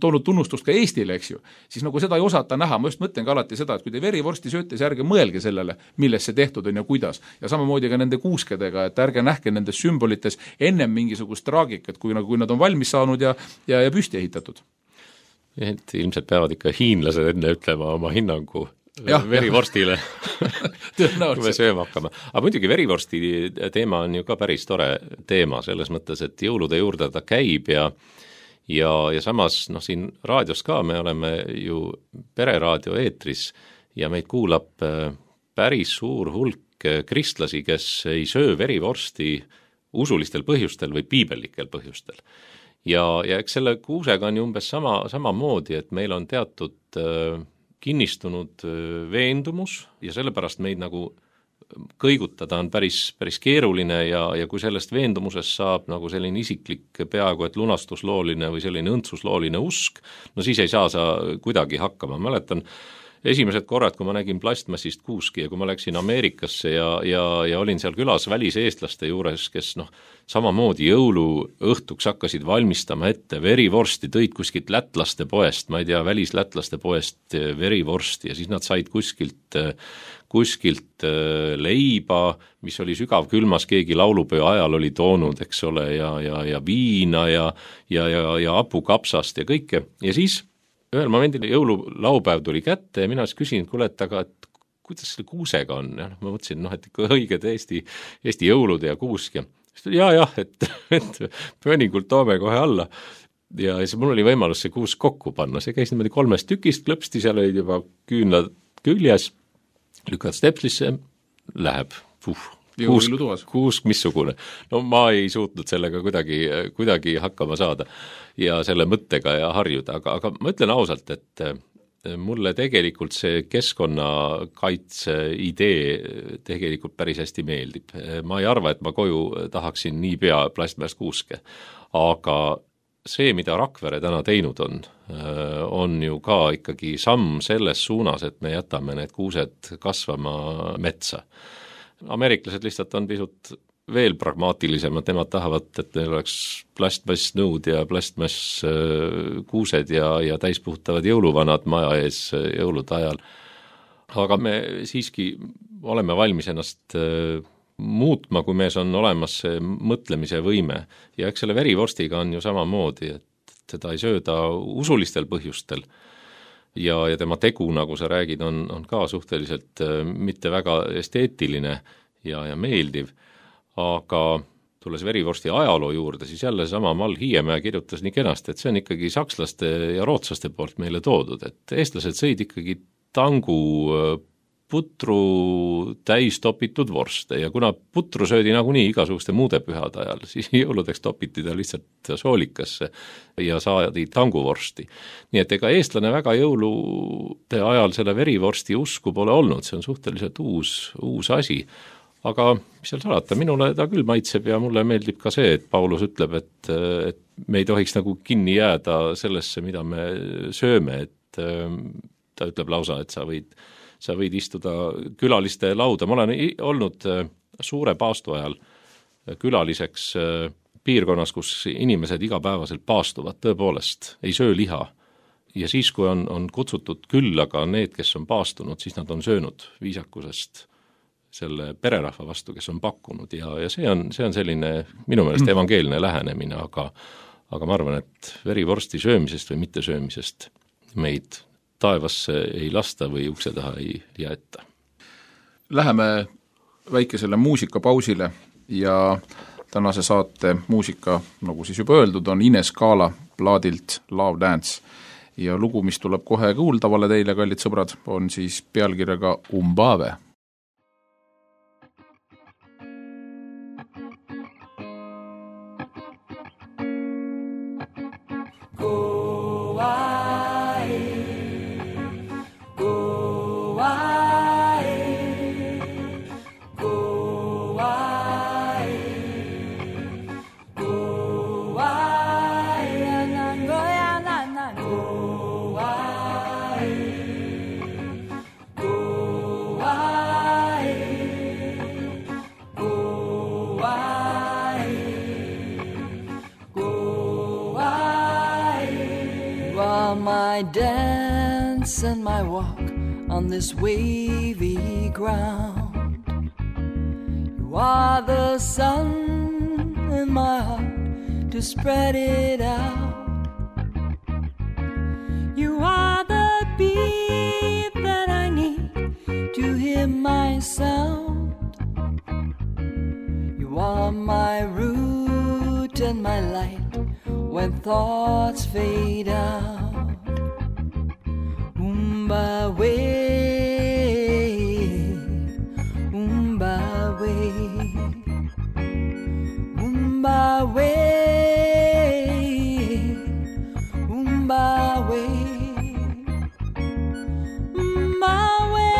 toonud tunnustust ka Eestile, eks ju, siis nagu seda ei osata näha. Ma just mõtlen ka alati seda, et kui te verivorsti sööte, siis ärge mõelge sellele, milles see tehtud on ja kuidas. Ja samamoodi ka nende kuuskedega, et ärge nähke nendes sümbolites ennem mingisugust traagikat, kui nad on valmis saanud ja püsti ehitatud. Et ilmselt peavad ikka hiinlased enne ütlema oma hinnangu verivorstile, kui me sööma hakkame. Aga muidugi verivorsti teema on ju ka päris tore teema, selles mõttes, et jõulude juurde ta käib ja samas siin raadios ka me oleme ju pereraadio eetris ja meid kuulab päris suur hulk kristlasi, kes ei söö verivorsti usulistel põhjustel või piibellikel põhjustel. Ja eks selle kuusega on ju umbes samamoodi, et meil on teatud kinnistunud veendumus ja sellepärast meid nagu kõigutada on päris keeruline ja kui sellest veendumusest saab nagu selline isiklik peaaegu et lunastuslooline või selline õndsuslooline usk, no siis ei saa sa kuidagi hakkama. Mäletan esimesed korrad, kui ma nägin plastmassist kuuski ja kui ma läksin Ameerikasse ja olin seal külas väliseestlaste juures, kes samamoodi jõuluõhtuks hakkasid valmistama ette verivorsti, tõid kuskilt lätlaste poest, ma ei tea, välislätlaste poest verivorsti ja siis nad said kuskilt leiba, mis oli sügavkülmas, keegi laulupeo ajal oli toonud, eks ole, ja viina ja hapukapsast ja kõike ja siis ühel momendil jõululaupäev tuli kätte ja mina siis küsin, kuule, et kuidas selle kuusega on? Ja ma mõtlesin, et ikka õiged Eesti jõulud ja kuusk ja et pööningult toome kohe alla. Ja siis mul oli võimalus see kuusk kokku panna, see käis niimoodi 3 tükist, klõpsti, seal olid juba küünlad küljes, lükad stepslisse, läheb. Kuusk missugune. No ma ei suutnud sellega kuidagi hakkama saada ja selle mõttega ja harjuda, aga ma ütlen ausalt, et mulle tegelikult see keskkonnakaitse idee tegelikult päris hästi meeldib. Ma ei arva, et ma koju tahaksin niipea plastmäest kuuske, aga see, mida Rakvere täna teinud on ju ka ikkagi samm selles suunas, et me jätame need kuused kasvama metsa. Ameeriklased lihtsalt on pisut veel pragmaatilisemad, nemad tahavad, et neil oleks plastmass nõud ja plastmass kuused ja täispuhtavad jõuluvanad maja ees jõulude ajal. Aga me siiski oleme valmis ennast muutma, kui mees on olemas see mõtlemise võime. Ja eks selle verivorstiga on ju samamoodi, et seda ei sööda usulistel põhjustel. Ja tema tegu, nagu sa räägid, on ka suhteliselt mitte väga esteetiline ja meeldiv, aga tulles verivorsti ajaloo juurde, siis jälle sama Mall Hiiemäe kirjutas nii kenasti, et see on ikkagi sakslaste ja rootslaste poolt meile toodud, et eestlased sõid ikkagi tangu putru täis topitud vorste ja kuna putru söödi nagunii igasuguste muude pühade ajal, siis jõuludeks topiti ta lihtsalt soolikasse ja saadi tanguvorsti. Nii et ega eestlane väga jõulude ajal selle verivorsti usku pole olnud, see on suhteliselt uus asi. Aga mis seal salata, minule ta küll maitseb ja mulle meeldib ka see, et Paulus ütleb, et me ei tohiks nagu kinni jääda sellesse, mida me sööme, et ta ütleb lausa, et sa võid istuda külaliste lauda. Ma olen olnud suure paastu ajal külaliseks piirkonnas, kus inimesed igapäevaselt paastuvad, tõepoolest ei söö liha. Ja siis, kui on kutsutud küllaga need, kes on paastunud, siis nad on söönud viisakusest selle pererahva vastu, kes on pakkunud ja see on selline minu meelest evangeelne lähenemine, aga ma arvan, et verivorsti söömisest või mitte söömisest meid taevasse ei lasta või ukse taha ei jäeta. Läheme väikesele muusikapausile ja tänase saate muusika, nagu siis juba öeldud, on Ines Kaala plaadilt Love Dance ja lugu, mis tuleb kohe kuuldavale teile, kallid sõbrad, on siis pealkirjaga Umbave. My dance and my walk on this wavy ground. You are the sun in my heart to spread it out. You are the beat that I need to hear my sound. You are my root and my light when thoughts fade out. Umbawe, umbawe, umbawe, umbawe, umbawe,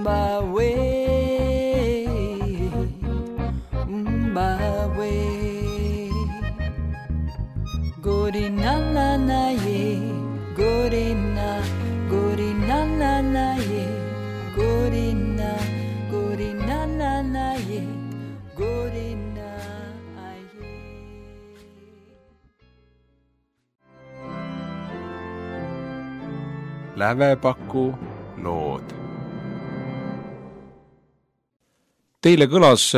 by way, by way. Gorina na na ye, gorina, gorina na na ye, gorina, gorina na na ye, gorina ye. Lävepaku lood. Teile kõlas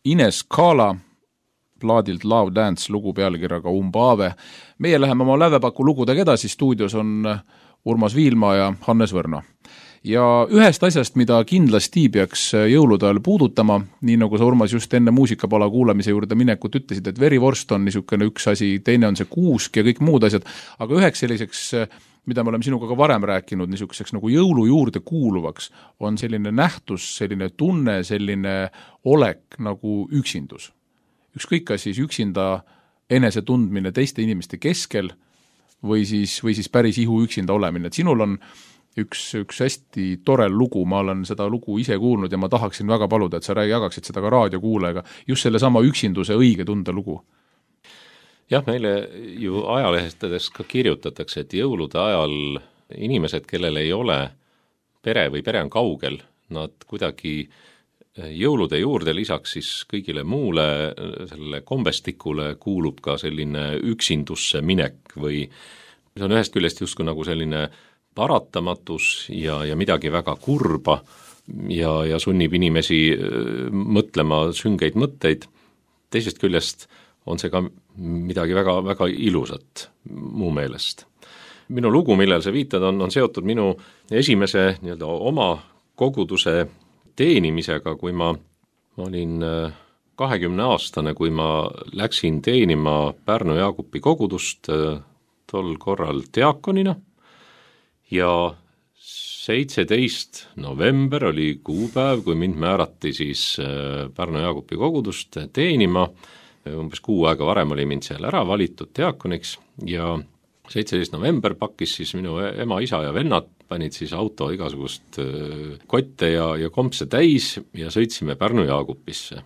Ines Kala plaadilt Love Dance lugu pealkirjaga Umbaave. Meie läheme oma Lävepaku lugudega edasi, stuudios on Urmas Viilma ja Hannes Võrno. Ja ühest asjast, mida kindlasti peaks jõulude ajal puudutama, nii nagu sa Urmas just enne muusikapala kuulamise juurde minekut ütlesid, et verivorst on niisugune üks asi, teine on see kuusk ja kõik muud asjad, aga üheks selliseks, mida me oleme sinuga ka varem rääkinud, niisuguseks nagu jõulu juurde kuuluvaks, on selline nähtus, selline tunne, selline olek nagu üksindus. Ükskõik kas siis üksinda enese tundmine teiste inimeste keskel või siis päris ihu üksinda olemine. Et sinul on üks hästi tore lugu, ma olen seda lugu ise kuulnud ja ma tahaksin väga paluda, et sa jagaksid seda ka raadiokuulega, just selle sama üksinduse õige tunde lugu. Jah, meile ju ajalehtedest ka kirjutatakse, et jõulude ajal inimesed, kellel ei ole pere või pere on kaugel, nad kuidagi jõulude juurde lisaks siis kõigile muule sellele kombestikule kuulub ka selline üksindusse minek või see on ühest küljest justkui nagu selline paratamatus ja midagi väga kurba ja sunnib inimesi mõtlema süngeid mõtteid. Teisest küljest on see ka midagi väga, väga ilusat mu meelest. Minu lugu, millel sa viitad, on seotud minu esimese nii-öelda oma koguduse teenimisega, kui ma olin 20-aastane, kui ma läksin teenima Pärnu Jaagupi kogudust tol korral diakonina ja 17. november oli kuupäev, kui mind määrati siis Pärnu Jaagupi kogudust teenima, umbes kuu aega varem oli mind seal ära valitud diakoniks ja 17. november pakkis siis minu ema, isa ja vennad, panid siis auto igasugust kotte ja kompse täis ja sõitsime Pärnu Jaagupisse.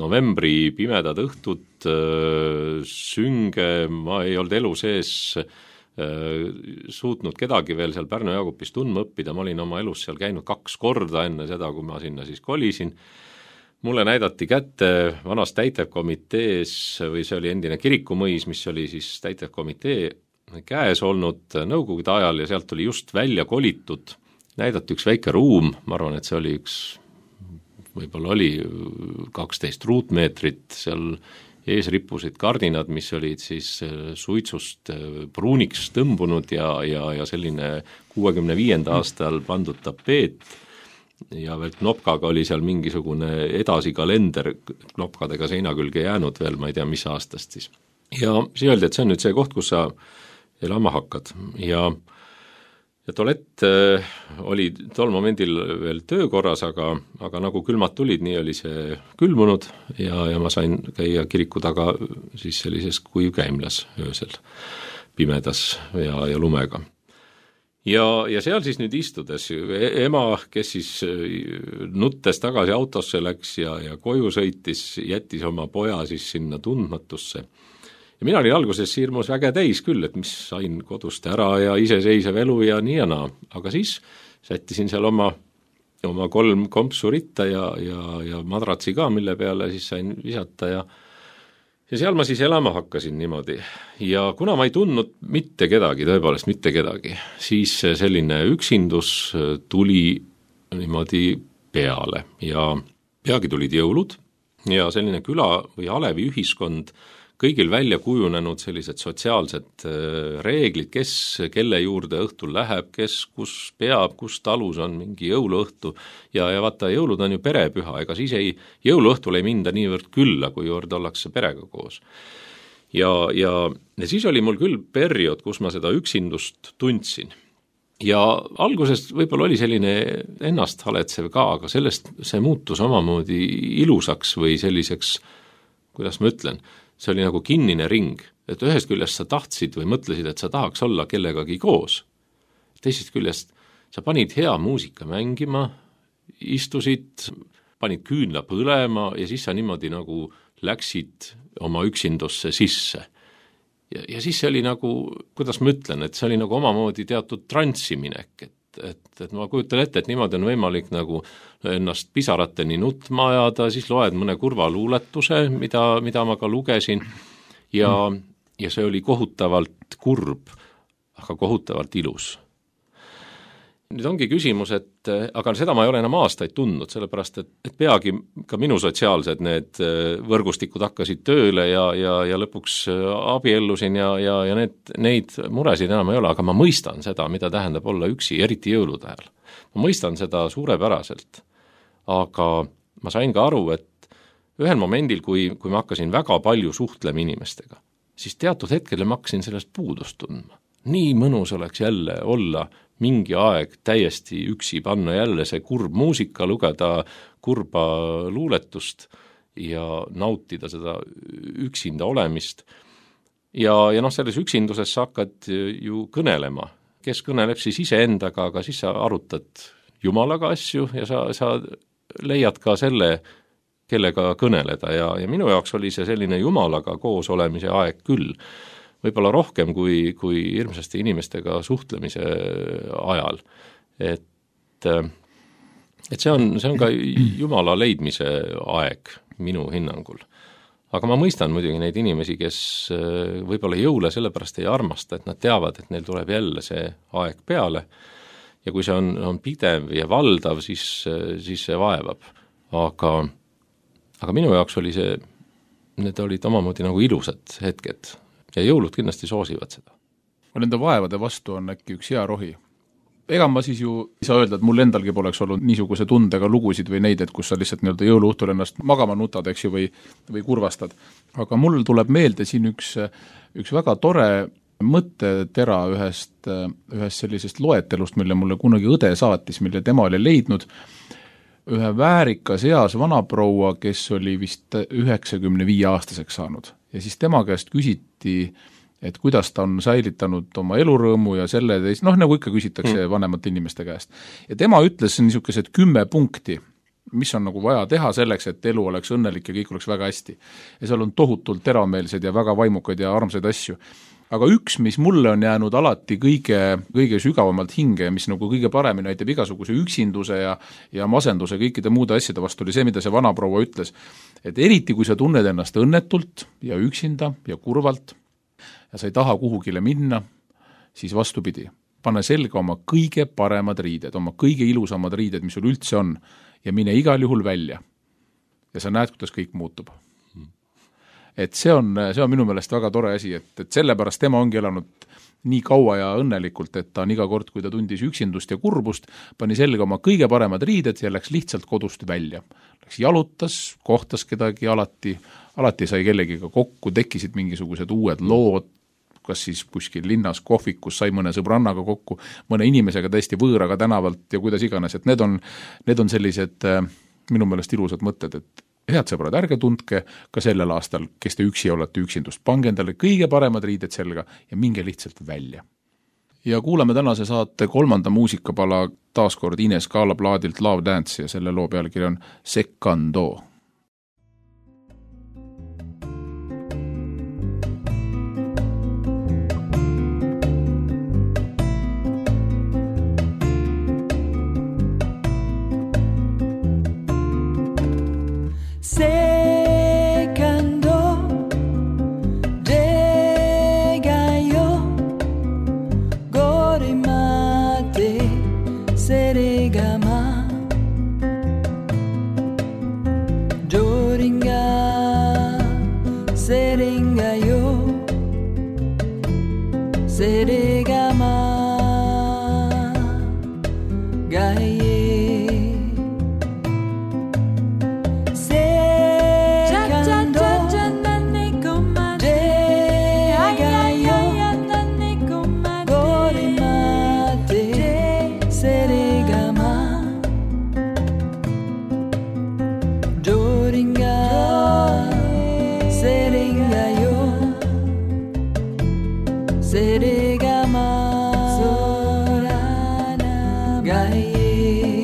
Novembri pimedad õhtud, sünge, ma ei olnud elu sees suutnud kedagi veel seal Pärnu Jaagupis tundma õppida, ma olin oma elus seal käinud 2 korda enne seda, kui ma sinna siis kolisin. Mulle näidati kätte vanas täitevkomitees, või see oli endine kirikumõis, mis oli siis täitevkomitee käes olnud nõukogude ajal ja sealt oli just välja kolitud, näidati üks väike ruum, ma arvan, et see oli võib-olla oli 12 ruutmeetrit, seal ees rippusid kardinad, mis olid siis suitsust pruuniks tõmbunud ja selline 65. aastal pandud tapeet, ja veel knopkaga oli seal mingisugune edasi kalender knopkadega seina külge jäänud veel, ma ei tea, mis aastast siis. Ja siis öeldi, et see on nüüd see koht, kus sa elama hakkad. Ja tualett oli tol momendil veel töökorras, aga nagu külmad tulid, nii oli see külmunud ja ma sain käia kiriku taga siis sellises kuivkäimlas öösel, pimedas ja lumega. Ja seal siis nüüd istudes ema, kes siis nuttes tagasi autosse läks ja koju sõitis, jättis oma poja siis sinna tundmatusse. Ja mina olin alguses hirmus väge täis küll, et mis sain kodust ära ja iseseisev elu ja nii ja naa. Aga siis sättisin seal oma 3 kompsu ritta ja madratsi ka, mille peale siis sain visata ja seal ma siis elama hakkasin niimoodi ja kuna ma ei tundnud mitte kedagi, tõepoolest mitte kedagi, siis selline üksindus tuli niimoodi peale ja peagi tulid jõulud ja selline küla või alevi ühiskond, kõigil välja kujunenud sellised sotsiaalsed reeglid, kes kelle juurde õhtul läheb, kes kus peab, kus talus on mingi jõuluõhtu ja vaata, jõulud on ju perepüha, ega siis jõuluõhtul ei minda niivõrd külla, kui juurde ollakse perega koos. Ja siis oli mul küll periood, kus ma seda üksindust tundsin. Ja alguses võib-olla oli selline ennast haletsev ka, aga sellest see muutus omamoodi ilusaks või selliseks, kuidas ma ütlen, see oli nagu kinnine ring, et ühest küljest sa tahtsid või mõtlesid, et sa tahaks olla kellegagi koos. Teisest küljest sa panid hea muusika mängima, istusid, panid küünla põlema ja siis sa niimoodi nagu läksid oma üksindusse sisse. Ja siis see oli nagu, kuidas ma ütlen, et see oli nagu omamoodi teatud transsiminek, et ma kujutan ette, et niimoodi on võimalik nagu ennast pisarateni nutma ajada, siis loed mõne kurva luuletuse, mida ma ka lugesin ja see oli kohutavalt kurb, aga kohutavalt ilus. Nüüd ongi küsimus, aga seda ma ei ole enam aastaid tundnud, sellepärast, et peagi ka minu sotsiaalsed need võrgustikud hakkasid tööle ja lõpuks abiellusin ja neid muresid enam ei ole, aga ma mõistan seda, mida tähendab olla üksi, eriti jõulude ajal. Ma mõistan seda suurepäraselt, aga ma sain ka aru, et ühel momendil, kui ma hakkasin väga palju suhtlema inimestega, siis teatud hetkel ma hakkasin sellest puudust tundma. Nii mõnus oleks jälle olla mingi aeg täiesti üksi, panna jälle see kurb muusika, lugeda kurba luuletust ja nautida seda üksinda olemist. Ja selles üksinduses sa hakkad ju kõnelema. Kes kõneleb siis iseendaga, aga siis sa arutad Jumalaga asju ja sa leiad ka selle, kellega kõneleda ja minu jaoks oli see selline Jumalaga koos olemise aeg küll. Võib-olla rohkem kui hirmsasti inimestega suhtlemise ajal. Et see on ka Jumala leidmise aeg minu hinnangul. Aga ma mõistan muidugi neid inimesi, kes võib-olla jõule sellepärast ei armasta, et nad teavad, et neil tuleb jälle see aeg peale ja kui see on pidev ja valdav, siis see vaevab. Aga minu jaoks oli need olid omamoodi nagu ilusad hetked. Ja jõulud kindlasti soosivad seda. Nende vaevade vastu on äkki üks hea rohi. Ega ma siis ju ei saa öelda, et mul endalgi poleks olnud niisuguse tundega lugusid või neid, et kus sa lihtsalt nii-öelda jõuluõhtul ennast magama nutad, eks ju, või kurvastad. Aga mul tuleb meelde siin üks väga tore mõttetera ühest sellisest loetelust, mille mulle kunagi õde saatis, mille tema oli leidnud ühe väärikas eas vanaproua, kes oli vist 95-aastaseks saanud. Ja siis tema käest küsiti, et kuidas ta on säilitanud oma elurõõmu ja selle teist, nagu ikka küsitakse vanemate inimeste käest. Ja tema ütles niisugused 10 punkti, mis on nagu vaja teha selleks, et elu oleks õnnelik ja kõik oleks väga hästi. Ja seal on tohutult teravmeelsed ja väga vaimukad ja armsaid asju. Aga üks, mis mulle on jäänud alati kõige sügavamalt hinge, mis nagu kõige paremini näitab igasuguse üksinduse ja masenduse kõikide muude asjade vastu, oli see, mida see vanaproua ütles. Et eriti, kui sa tunned ennast õnnetult ja üksinda ja kurvalt ja sa ei taha kuhugile minna, siis vastupidi. Pane selga oma kõige paremad riided, oma kõige ilusamad riided, mis sul üldse on, ja mine igal juhul välja. Ja sa näed, kuidas kõik muutub. Et see on minu meelest väga tore asi, et sellepärast tema ongi elanud nii kaua ja õnnelikult, et ta on iga kord, kui ta tundis üksindust ja kurbust, pani selga oma kõige paremad riided ja läks lihtsalt kodust välja. Läks jalutas, kohtas kedagi alati sai kellegiga kokku, tekkisid mingisugused uued lood, kas siis kuskil linnas kohvikus sai mõne sõbrannaga kokku, mõne inimesega täiesti võõraga tänavalt ja kuidas iganes, et need on sellised minu meelest ilusad mõtted, et head sõbrad, ärge tundke ka sellel aastal, kes te üksi olete üksindust. Pange endale kõige paremad riided selga ja minge lihtsalt välja. Ja kuulame tänase saate 3. muusikapala taaskord Ines Kaala plaadilt Love Dance ja selle loo pealkiri on Seccando. Seccando Degayo Gorimate Serigama Doringa Seringayo Serigama Gaye Serigama Sorana gaie.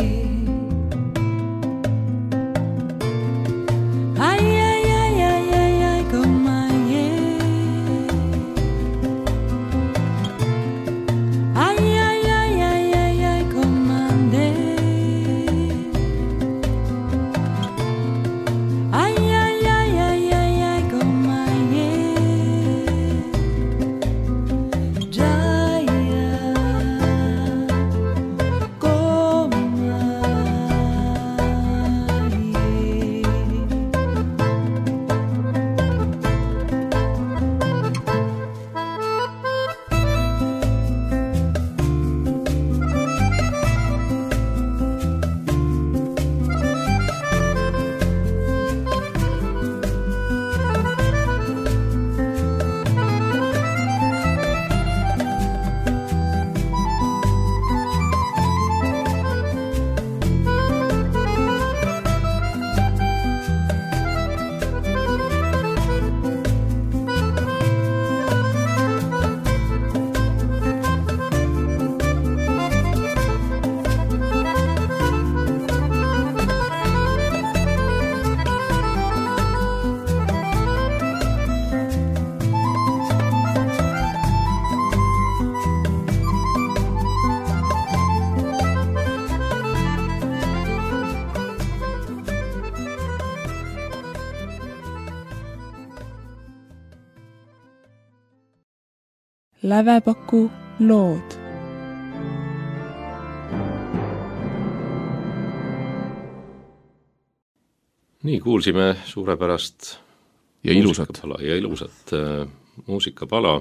Ai ai ai ai ai ai comaie. Ai ai ai ai ai ai comande. Ai ai ai ai ai ai comaie. Jaya comaie. Lävepaku lood. Nii, kuulsime suurepärast ja ilusat. ilusat muusikapala.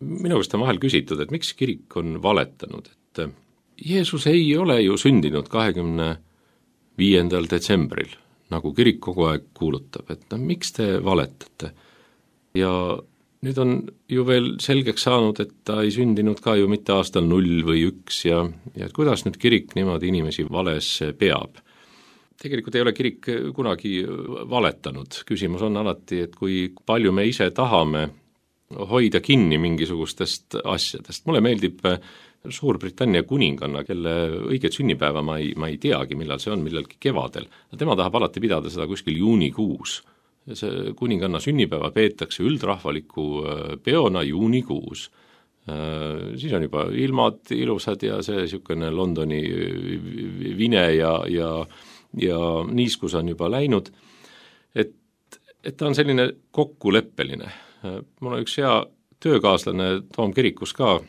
Minu käest on vahel küsitud, et miks kirik on valetanud, et Jeesus ei ole ju sündinud 25. detsembril, nagu kirik kogu aeg kuulutab, et miks te valetate? Ja nüüd on ju veel selgeks saanud, et ta ei sündinud ka ju mitte aastal 0 või 1 ja et kuidas nüüd kirik niimoodi inimesi vales peab. Tegelikult ei ole kirik kunagi valetanud, küsimus on alati, et kui palju me ise tahame hoida kinni mingisugustest asjadest. Mulle meeldib Suurbritannia kuninganna, kelle õiget sünnipäeva ma ei teagi, millal see on, millalgi kevadel. Tema tahab alati pidada seda kuskil juunikuus. See kuninganna sünnipäeva peetakse üldrahvaliku peona juunikuus. Siis on juba ilmad ilusad ja see niisugune Londoni vine ja niiskus on juba läinud. Et ta on selline kokkuleppeline. Mul on üks hea töökaaslane Toom kirikus ka,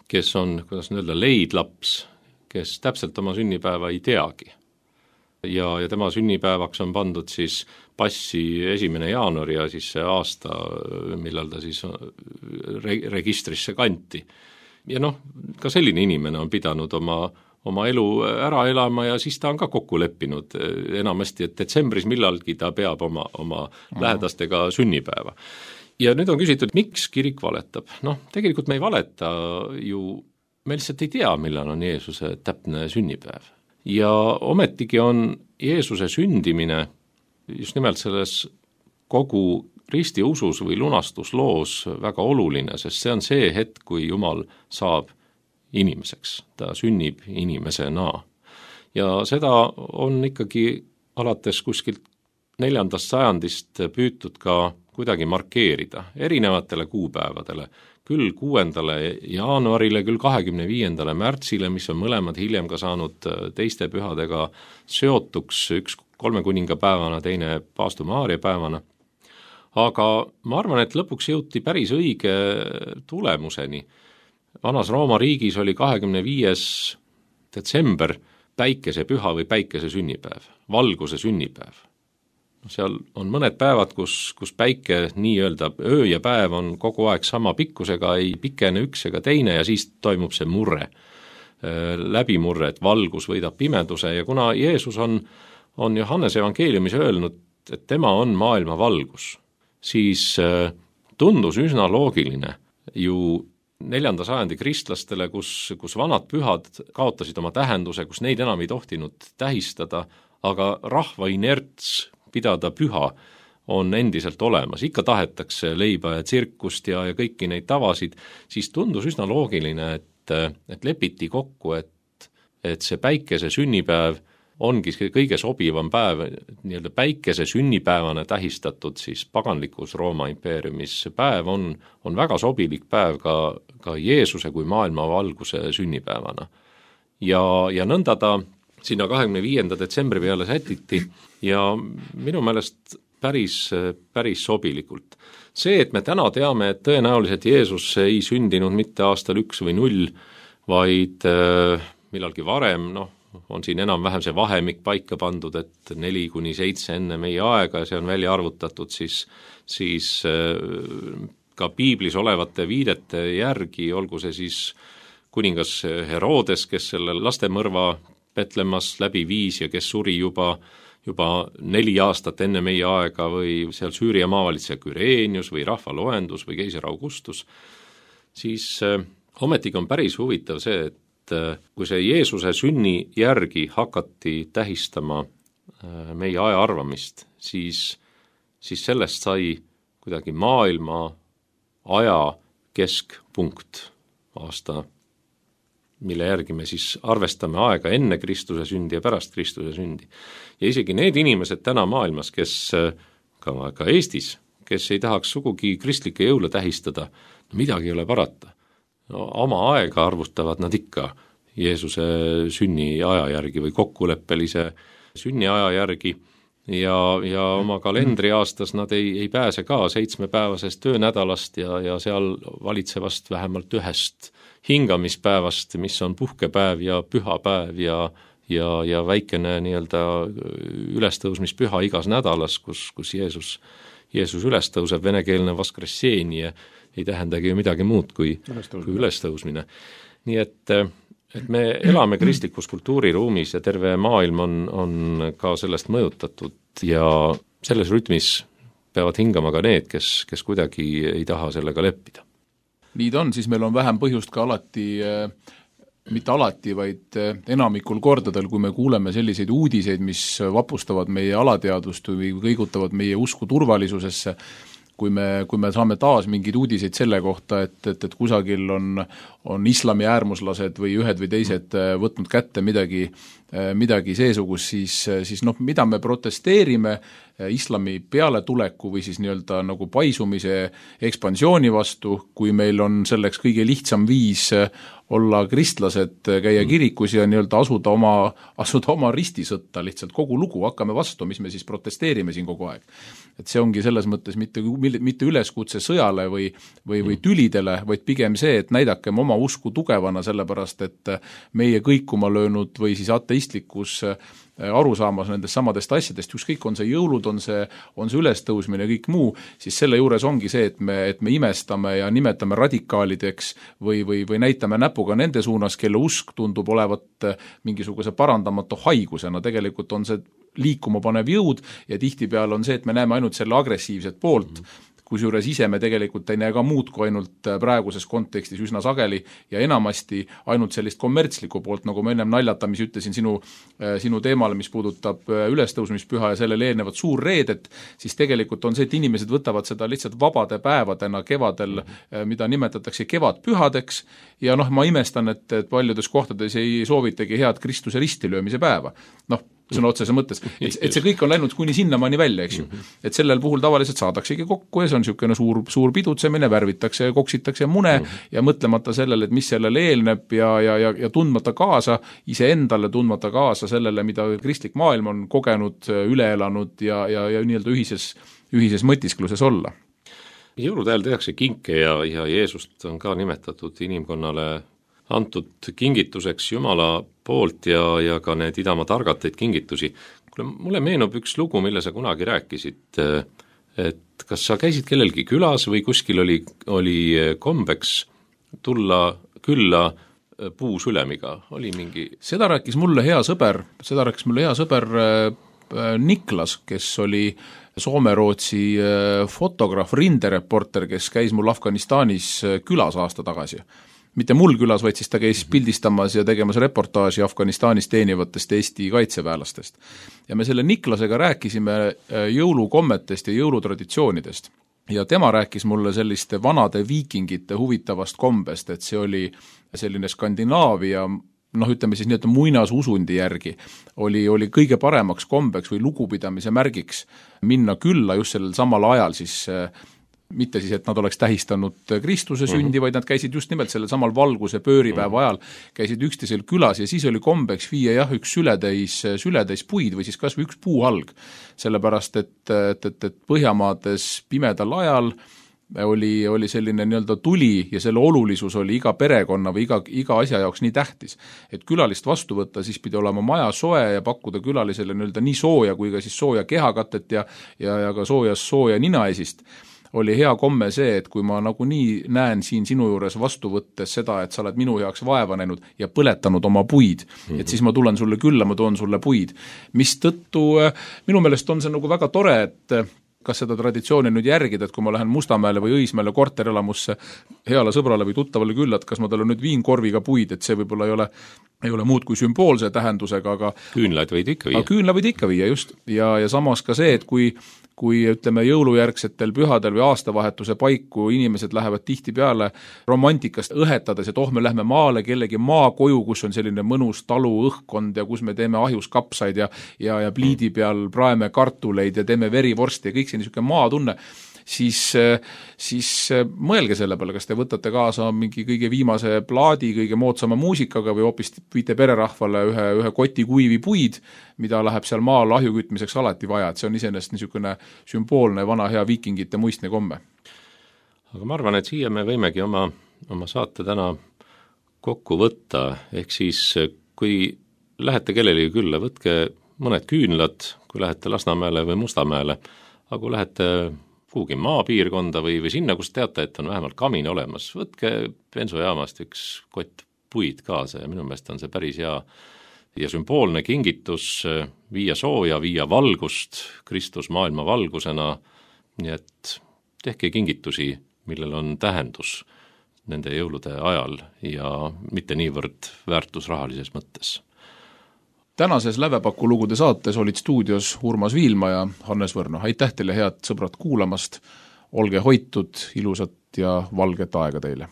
kes on, kuidas öelda, leidlaps, kes täpselt oma sünnipäeva ei teagi. Ja tema sünnipäevaks on pandud siis passi 1. jaanuar ja siis see aasta, millal ta siis registrisse kanti. Ja ka selline inimene on pidanud oma elu ära elama ja siis ta on ka kokku leppinud enamasti, et detsembris millalgi ta peab oma lähedastega sünnipäeva. Ja nüüd on küsitud, miks kirik valetab? Tegelikult me ei valeta ju, me lihtsalt ei tea, millal on Jeesuse täpne sünnipäev. Ja ometigi on Jeesuse sündimine just nimelt selles kogu ristiusus või lunastusloos väga oluline, sest see on see hetk, kui Jumal saab inimeseks, ta sünnib inimesena. Ja seda on ikkagi alates kuskilt 4. sajandist püütud ka kuidagi markeerida erinevatele kuupäevadele, küll 6. jaanuarile, küll 25. märtsile, mis on mõlemad hiljem ka saanud teiste pühadega seotuks, üks 3 kuningapäevana, teine Paastu Maaria päevana. Aga ma arvan, et lõpuks jõuti päris õige tulemuseni. Vanas Rooma riigis oli 25. detsember päikesepüha või päikese sünnipäev, valguse sünnipäev. Seal on mõned päevad, kus päike nii-öelda öö ja päev on kogu aeg sama pikkusega, ei pikene üks ega teine ja siis toimub see murre, läbimurre, et valgus võidab pimeduse ja kuna Jeesus on Johannese evangeeliumis öelnud, et tema on maailma valgus, siis tundus üsna loogiline ju 4. sajandi kristlastele, kus vanad pühad kaotasid oma tähenduse, kus neid enam ei tohtinud tähistada, aga rahva inerts pidada püha on endiselt olemas, ikka tahetakse leiba ja tsirkust ja kõiki neid tavasid, siis tundus üsna loogiline, et lepiti kokku, et et see päikese sünnipäev ongi kõige sobivam päev, nii-öelda päikese sünnipäevana tähistatud siis paganlikus Rooma impeeriumis. See päev on väga sobilik päev ka Jeesuse kui maailma valguse sünnipäevana. Ja nõnda ta sinna 25. detsembri peale sätiti ja minu meelest päris sobilikult. See, et me täna teame, et tõenäoliselt Jeesus ei sündinud mitte aastal 1 või 0, vaid millalgi varem, on siin enam-vähem see vahemik paika pandud, et 4-7 enne meie aega ja see on välja arvutatud siis ka piiblis olevate viidete järgi, olgu see siis kuningas Herodes, kes selle lastemõrva Petlemmas läbi viis ja kes suri juba 4 aastat enne meie aega või seal Süüria maavalitseja Küreenius või rahvaloendus või keiser Augustus, siis ometigi on päris huvitav see, et kui see Jeesuse sünni järgi hakati tähistama meie aja arvamist, siis sellest sai kuidagi maailma aja keskpunkt aasta, mille järgi me siis arvestame aega enne Kristuse sündi ja pärast Kristuse sündi. Ja isegi need inimesed täna maailmas, kes ka Eestis, kes ei tahaks sugugi kristlikke jõule tähistada, midagi ei ole parata. Oma aega arvustavad nad ikka Jeesuse sünni aja järgi või kokkuleppelise sünni aja järgi ja oma kalendriaastas nad ei pääse ka 7-päevasest töönädalast ja seal valitsevast vähemalt 1 hingamispäevast, mis on puhkepäev ja pühapäev ja väikene nii-öelda ülestõusmispüha igas nädalas, kus Jeesus ülestõuseb, venekeelne vaskresseni ei tähendagi ju midagi muud kui ülestõusmine. Nii et me elame kristlikus kultuuriruumis ja terve maailm on ka sellest mõjutatud ja selles rütmis peavad hingama ka need, kes kuidagi ei taha sellega leppida. Nii ta on, siis meil on vähem põhjust ka mitte alati, vaid enamikul kordadel, kui me kuuleme selliseid uudiseid, mis vapustavad meie alateadvust või kõigutavad meie usku turvalisusesse, kui me saame taas mingeid uudiseid selle kohta, et kusagil on islami äärmuslased või ühed või teised võtnud kätte midagi seesugust, siis mida me protesteerime islami pealetuleku või siis nii-öelda nagu paisumise ekspansiooni vastu, kui meil on selleks kõige lihtsam viis olla kristlased, käia kirikus ja nii-öelda asuda oma ristisõtta lihtsalt kogu lugu, hakkame vastu, mis me siis protesteerime siin kogu aeg. Et see ongi selles mõttes mitte üleskutse sõjale või tülidele, vaid pigem see, et näidakem oma usku tugevana, sellepärast et meie kõikuma löönud või siis ateistlikus arusaamas nendest samadest asjadest, ükskõik on see jõulud, on see ülestõusmine ja kõik muu, siis selle juures ongi see, et me imestame ja nimetame radikaalideks või näitame näpuga nende suunas, kelle usk tundub olevat mingisuguse parandamatu haigusena, tegelikult on see liikuma panev jõud ja tihtipeale on see, et me näeme ainult selle agressiivset poolt, kusjuures ise me tegelikult ei näe ka muud kui ainult praeguses kontekstis üsna sageli ja enamasti ainult sellist kommertslikku poolt, nagu ma ennem naljatamisi ütlesin sinu teemale, mis puudutab ülestõusmispüha ja sellele eelnevat suurreedet, siis tegelikult on see, et inimesed võtavad seda lihtsalt vabade päevadena kevadel, mida nimetatakse kevadpühadeks ja ma imestan, et paljudes kohtades ei soovitagi head Kristuse ristilöömise päeva. Sõna otsese mõttes, et see kõik on läinud kuni sinnamaani välja, eks ju. Et sellel puhul tavaliselt saadaksegi kokku ja see on niisugune suur pidutsemine, värvitakse ja koksitakse mune ja mõtlemata sellele, et mis sellele eelneb ja tundmata kaasa, iseendale tundmata kaasa sellele, mida kristlik maailm on kogenud, üle elanud ja nii-öelda ühises mõtiskluses olla. Jõulude ajal tehakse kinke ja Jeesust on ka nimetatud inimkonnale antud kingituseks Jumala poolt ja ka need idamaa targateid kingitusi. Mulle meenub üks lugu, mille sa kunagi rääkisid, et kas sa käisid kellelgi külas või kuskil oli kombeks tulla külla puusülemiga, oli mingi... Seda rääkis mulle hea sõber Niklas, kes oli Soome-Rootsi fotograaf, rindereporter, kes käis mul Afganistanis külas aasta tagasi. Mitte mul külas, vaid siis ta käis pildistamas ja tegemas reportaaži Afganistanis teenivatest Eesti kaitseväelastest. Ja me selle Niklasega rääkisime jõulukommetest ja jõulutraditsioonidest. Ja tema rääkis mulle selliste vanade viikingite huvitavast kombest, et see oli selline Skandinaavia ütleme siis nii-öelda muinasusundi järgi, oli kõige paremaks kombeks või lugupidamise märgiks minna külla just sellel samal ajal siis mitte siis, et nad oleks tähistanud Kristuse sündi, vaid nad käisid just nimelt sellel samal valguse pööripäeva ajal, käisid üksteisel külas ja siis oli kombeks viia üks sületäis puid või siis kas või üks puuhalg. Sellepärast, et Põhjamaades pimedal ajal oli selline nii-öelda tuli ja selle olulisus oli iga perekonna või iga asja jaoks nii tähtis. Et külalist vastu võtta, siis pidi olema maja soe ja pakkuda külalisele nii-öelda nii sooja kui ka siis sooja kehakatet ja ka sooja ninaesist. Oli hea komme see, et kui ma nagunii näen siin sinu juures vastu võttes seda, et sa oled minu heaks vaeva näinud ja põletanud oma puid, et siis ma tulen sulle külla, ma toon sulle puid. Mis tõttu minu meelest on see nagu väga tore, et kas seda traditsiooni nüüd järgida, et kui ma lähen Mustamäele või Õismäele korterelamusse heale sõbrale või tuttavale külla, et kas ma talle nüüd viin korviga puid, et see võib-olla ei ole muud kui sümboolse tähendusega, aga küünlaid võid ikka viia. Küünla võid ikka viia, just. Ja samas ka see, et kui ütleme jõulujärgsetel pühadel või aastavahetuse paiku inimesed lähevad tihti peale romantikast õhetades, et me lähme maale kellegi maakoju, kus on selline mõnus talu õhkkond ja kus me teeme ahjus kapsaid ja pliidi peal praeme kartuleid ja teeme verivorsti ja kõik see niisugune maatunne, siis mõelge selle peale, kas te võtate kaasa mingi kõige viimase plaadi, kõige moodsama muusikaga või hoopis viite pererahvale ühe koti kuivi puid, mida läheb seal maal ahjukütmiseks alati vaja, et see on iseenesest niisugune sümboolne vana hea viikingite muistne komme. Aga ma arvan, et siia me võimegi oma saate täna kokku võtta, ehk siis kui lähete kellelegi külla, võtke mõned küünlad, kui lähete Lasnamäele või Mustamäele, aga kui lähete kuhugi maapiirkonda või sinna, kus teate, et on vähemalt kamin olemas, võtke bensojaamast üks kott puid kaasa ja minu meelest on see päris hea ja sümboolne kingitus, viia sooja, viia valgust, Kristus maailma valgusena, nii et tehke kingitusi, millel on tähendus nende jõulude ajal ja mitte niivõrd väärtusrahalises mõttes. Tänases Lävepaku lugude saates olid stuudios Urmas Viilma ja Hannes Võrno. Aitäh teile, head sõbrad, kuulamast. Olge hoitud, ilusat ja valget aega teile.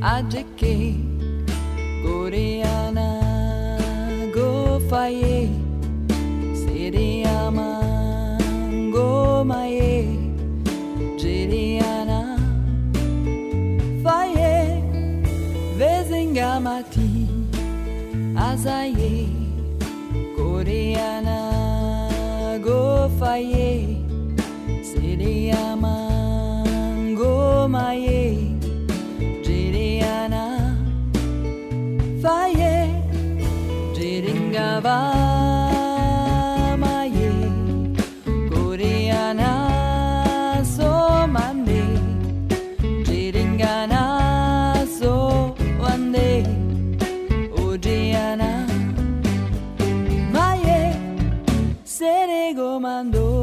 Adjeke Koreana go faye Siriama go maye Jiriana faye Vezingamati Azaye Koreana go faye Siriama go maye Faye, Jiringava Maye, Koreana so mande, Jiringana so wande, Ojiana Maye, Serego mando.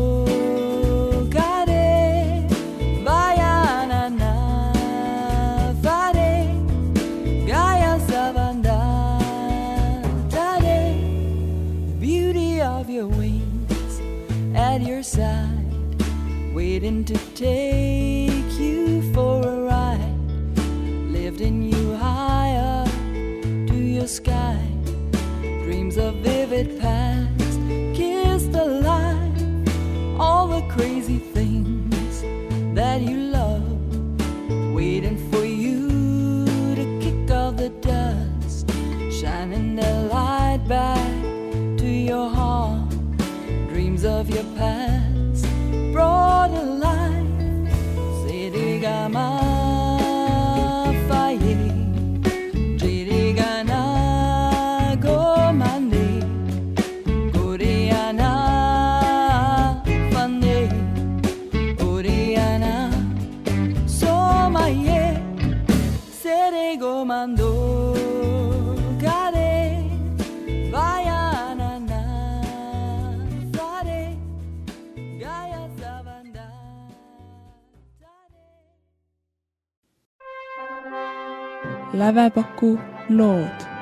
Side, waiting to take you for a ride, lifting you high up to your sky, dreams of vivid past, kiss the light, all the crazy things that you love, waiting for you to kick off the dust, shining the light back to your heart, dreams of your past brought alive. Sirigama faye, Jirigana go mande, Koreana fande, Koreana so maye, Serego mando. Gaya Zavanda. Lävepaku lood.